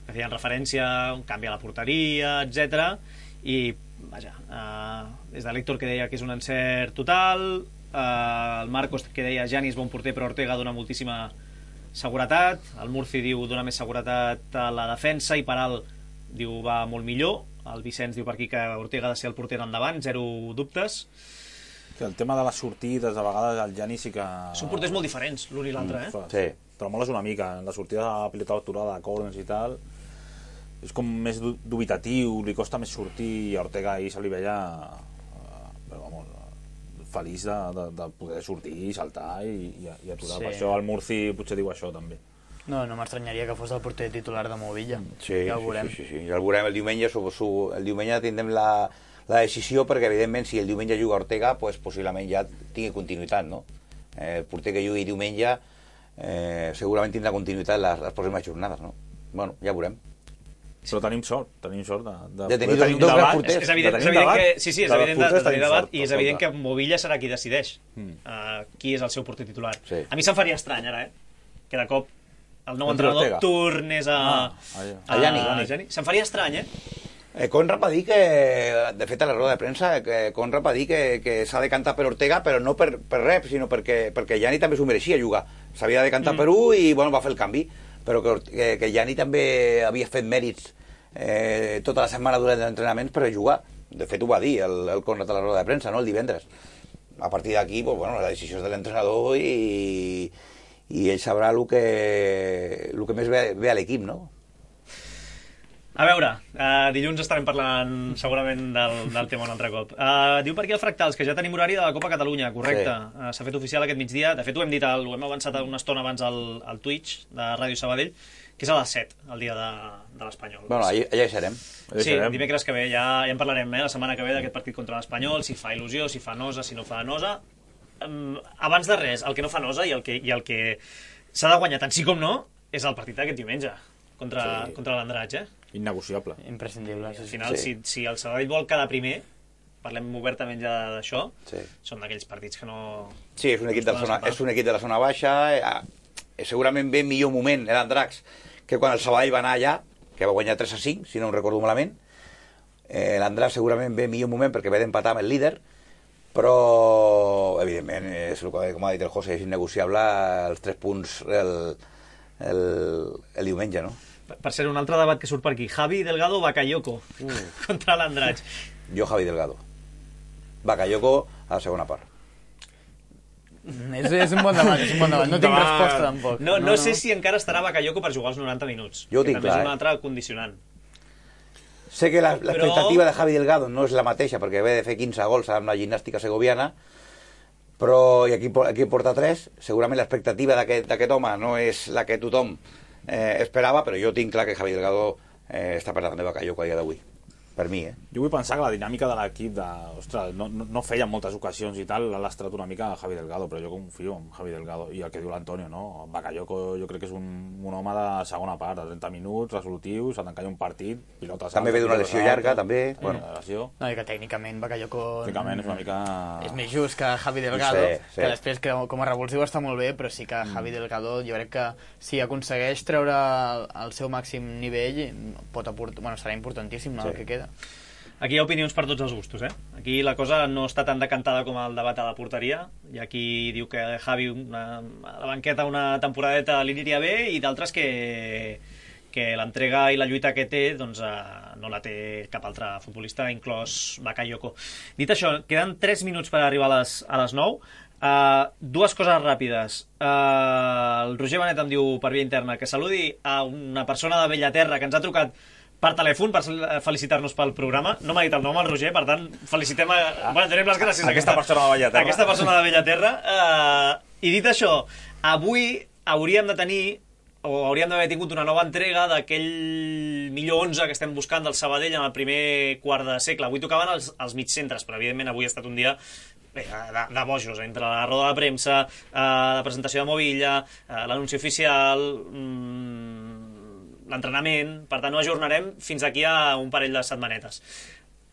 B: que feien referència a un canvi a la porteria, etcètera. I, vaja, eh, des de l'Héctor, que deia que és un encert total, eh, el Marcos, que deia Gianni és bon porter, però Ortega dona moltíssima seguretat, el Murci diu donar més seguretat a la defensa i Paral diu va molt millor, el Vicenç diu per aquí que Ortega ha de ser el porter endavant, zero dubtes.
C: El tema de les sortides, a vegades el Gianni sí que...
B: Són porters molt diferents, l'un i l'altre, eh?
C: Sí, però moles una mica, la sortida de la pilota aturada, de corners i tal, és com més dubitatiu, li costa més sortir, i a Ortega ahir se li veia però, vamos, feliç de, de, de poder sortir i saltar i, i, i aturar. Sí. Per això el Murci potser diu això també.
E: No, no m'estranyaria que fos el porter titular de Movilla.
D: Sí,
E: ja ho veurem.
D: Sí, sí, sí. Ja el veurem el diumenge. Su, su, el diumenge tindrem la, la decisió perquè, evidentment, si el diumenge juga Ortega, pues, possiblement ja tingui continuïtat, no? Eh, el porter que jugui diumenge eh, segurament tindrà continuïtat les, les pròximes jornades, no? Bueno, ja veurem.
C: Però tenim sort, tenim sort de, de,
D: de tenir dos, dos grans porters.
B: És evident, és evident que, sí, sí, és evident de, de tenir debat, i és evident que Movilla serà qui decideix mm. uh, qui és el seu porter titular. Sí. A mi se'm faria estrany, ara, eh? Que de cop el nou entrenador tornés a...
D: Ah, a, a Gianni.
B: Se'm faria estrany, eh?
D: Eh, Conrad va dir que, de fet a la roda de premsa, que Conrad va dir que, que s'ha de cantar per Ortega, però no per, per res, sinó perquè, perquè Gianni també s'ho mereixia jugar s'havia de decantar
B: Mm.
D: per un i bueno, va fer el canvi, però que, que, que Gianni també havia fet mèrits eh, tota la setmana durant els entrenaments per jugar. De fet ho va dir el, el Conrad a la roda de premsa, no?, el divendres. A partir d'aquí, pues, bueno, la decisió és de l'entrenador i, i ell sabrà el que, el que més ve, ve a l'equip, no?
B: A veure, uh, dilluns estarem parlant segurament del, del tema un altre cop. Uh, diu per aquí el Fractals, que ja tenim horari de la Copa Catalunya, correcte.
D: Sí.
B: Uh, S'ha fet oficial aquest migdia. De fet, ho hem dit, el, ho hem avançat una estona abans al, al Twitch de Ràdio Sabadell, que és a les set, el dia de, de l'Espanyol.
D: Bueno, allà, allà hi serem.
B: Allà sí, serem. Dimecres que ve ja, ja en parlarem, eh, la setmana que ve d'aquest partit contra l'Espanyol, si fa il·lusió, si fa nosa, si no fa nosa. Um, abans de res, el que no fa nosa i el que, i el que s'ha de guanyar tant sí com no és el partit d'aquest diumenge contra, sí. contra l'Andratx, eh?
C: Innegociable.
E: Imprescindible.
B: Al final, sí. si, si el Sabadell vol quedar primer, parlem obertament ja d'això,
D: sí.
B: són d'aquells partits que no...
D: Sí, és un equip, de la zona, és un equip de la zona baixa, eh, segurament ve millor moment l'Andratx que quan el Sabadell va anar allà, que va guanyar tres a cinc, si no em recordo malament. Eh, L'Andratx segurament ve millor moment perquè ve d'empatar amb el líder, però evidentment és el que, com ha dit el José, és innegociable els tres punts el, el, el diumenge, no?
B: Per ser un altre debat que surt per aquí, Javi Delgado o Bakayoko uh. contra l'Andratx.
D: Jo Javi Delgado. Bakayoko a la segona part.
E: És, és un bon debat, és un bon debat. No tinc
B: Demà...
E: resposta tampoc.
B: No, no, no, no sé si encara estarà Bakayoko per jugar els noranta minuts.
D: Jo ho tinc
B: també
D: clar,
B: és un
D: eh?
B: altre condicionant.
D: Sé que l'expectativa
B: però...
D: de Javi Delgado no és la mateixa, perquè ve de fer quinze gols amb la gimnàstica segoviana, però i aquí, aquí porta tres. Segurament l'expectativa d'aquest home no és la que tothom eh, esperava, però jo tinc clar que Javi Delgado eh, està per davant de Bakayoko a dia d'avui. Per mi, eh?
C: Jo vull pensar que la dinàmica de l'equip de... Ostres, no, no, no feia moltes ocasions i tal, l'ha lastrat una mica a Javi Delgado, però jo confio en Javi Delgado. I el que diu l'Antonio, no? Bakayoko jo crec que és un, un home de segona part, de trenta minuts, resolutiu, s'ha d'encallar un partit, pilota...
D: També ve d'una lesió llarga, també.
C: Bueno. Lesió.
E: No, i que tècnicament Bakayoko...
C: Tècnicament és una mica...
E: És més just que Javi Delgado,
D: sí, sí.
E: que després que com a revulsiu està molt bé, però sí que Javi Delgado jo crec que si aconsegueix treure el, el seu màxim nivell pot aportar, bueno, serà importantíssim, no, sí. el que queda.
B: Aquí hi ha opinions per tots els gustos, eh? Aquí la cosa no està tan decantada com el debat a la porteria. Hi ha qui diu que Javi una, a la banqueta una temporadeta li aniria bé i d'altres que, que l'entrega i la lluita que té doncs, eh, no la té cap altre futbolista, inclòs Bakayoko. Dit això, queden tres minuts per arribar a les, a les nou. Uh, dues coses ràpides. Uh, el Roger Benet em diu per via interna que saludi a una persona de Bellaterra que ens ha trucat per telèfon per felicitar-nos pel programa. No m'ha dit el nom el Roger, per tant felicitem a... Bueno, tenim les gràcies a
C: aquesta, aquesta persona de Bellaterra.
B: Aquesta persona de Bellaterra. Uh, I dit això, avui hauríem de tenir o hauríem d'haver tingut una nova entrega d'aquell millor onze que estem buscant del Sabadell en el primer quart de segle. Avui tocaven els, els mitjcentres, però evidentment avui ha estat un dia bé, de, de bojos, entre la roda de premsa, eh, la presentació de Movilla, eh, l'anunci oficial, mmm, l'entrenament, per tant ho ajornarem fins aquí a un parell de setmanetes.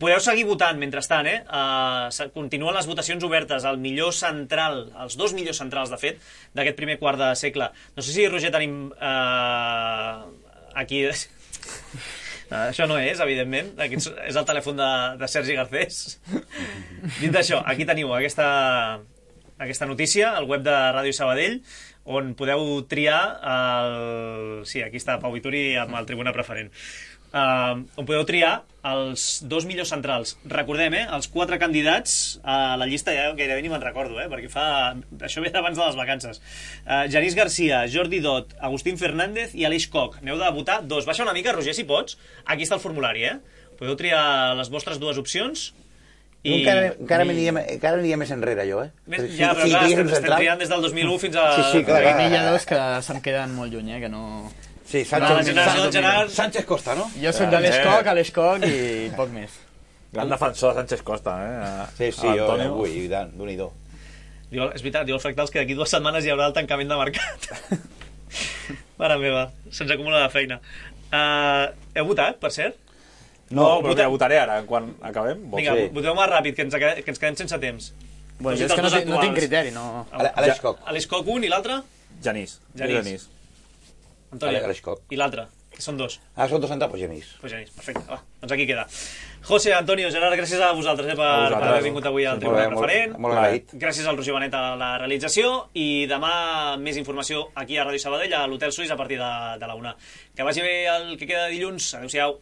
B: Podeu seguir votant mentrestant, eh? Uh, continuen les votacions obertes, el millor central, els dos millors centrals, de fet, d'aquest primer quart de segle. No sé si, Roger, tenim uh, aquí... Uh, això no és, evidentment, aquí és el telèfon de, de Sergi Garcés. Dit això, aquí teniu aquesta, aquesta notícia, al web de Ràdio Sabadell, on podeu triar el... Sí, aquí està Pau Vituri amb el Tribuna Preferent. Uh, on podeu triar els dos millors centrals. Recordem, eh, els quatre candidats a la llista, ja gairebé ni me'n recordo, eh, perquè fa... això ve d'abans de les vacances. Uh, Genís Garcia, Jordi Dot, Agustín Fernández i Aleix Koch. N'heu de votar dos. Baixa una mica, Roger, si pots. Aquí està el formulari, eh? Podeu triar les vostres dues opcions.
D: I... Encara, encara, I... encara aniria més enrere, jo, eh?
B: Més, ja, però sí, clar, estem, estem triant des del dos mil u fins a...
D: Sí, sí, clar, clar.
E: N'hi ha dos que se'm queden molt lluny, eh? Que no...
D: Sí, Sánchez,
B: no, Sánchez, Gerard...
D: Sánchez Costa, no?
E: Jo soc de l'Escoc, a l'Escoc i poc més.
C: Gran defensor de Sánchez Costa, eh? A...
D: Sí, sí, jo, avui, i tant, d'un-i-do.
B: És veritat, diu el Fractals que d'aquí dues setmanes hi haurà el tancament de mercat. Mare meva, se'ns acumula la feina. Uh, heu votat, per cert?
C: No, no però ja votaré ara, quan acabem.
B: Vinga, sí. Voteu més ràpid, que ens, que ens quedem sense temps.
E: Bueno, jo és que no, no tinc criteri, no...
D: Aleix Koch.
B: Aleix Koch un i l'altre?
C: Genís.
B: Genís. Antoni. I l'altre? Són dos.
D: Ah, són dos centrals, doncs Genís.
B: Pues Genís, perfecte, va, doncs aquí queda. José, Antonio, Gerard, gràcies a vosaltres eh, per, per haver vingut avui al Tribuna Preferent.
D: Molt, molt agraït.
B: Gràcies al Roger Benet a la realització i demà més informació aquí a Ràdio Sabadell, a l'Hotel Suís, a partir de, de la una. Que vagi bé el que queda de dilluns. Adéu-siau.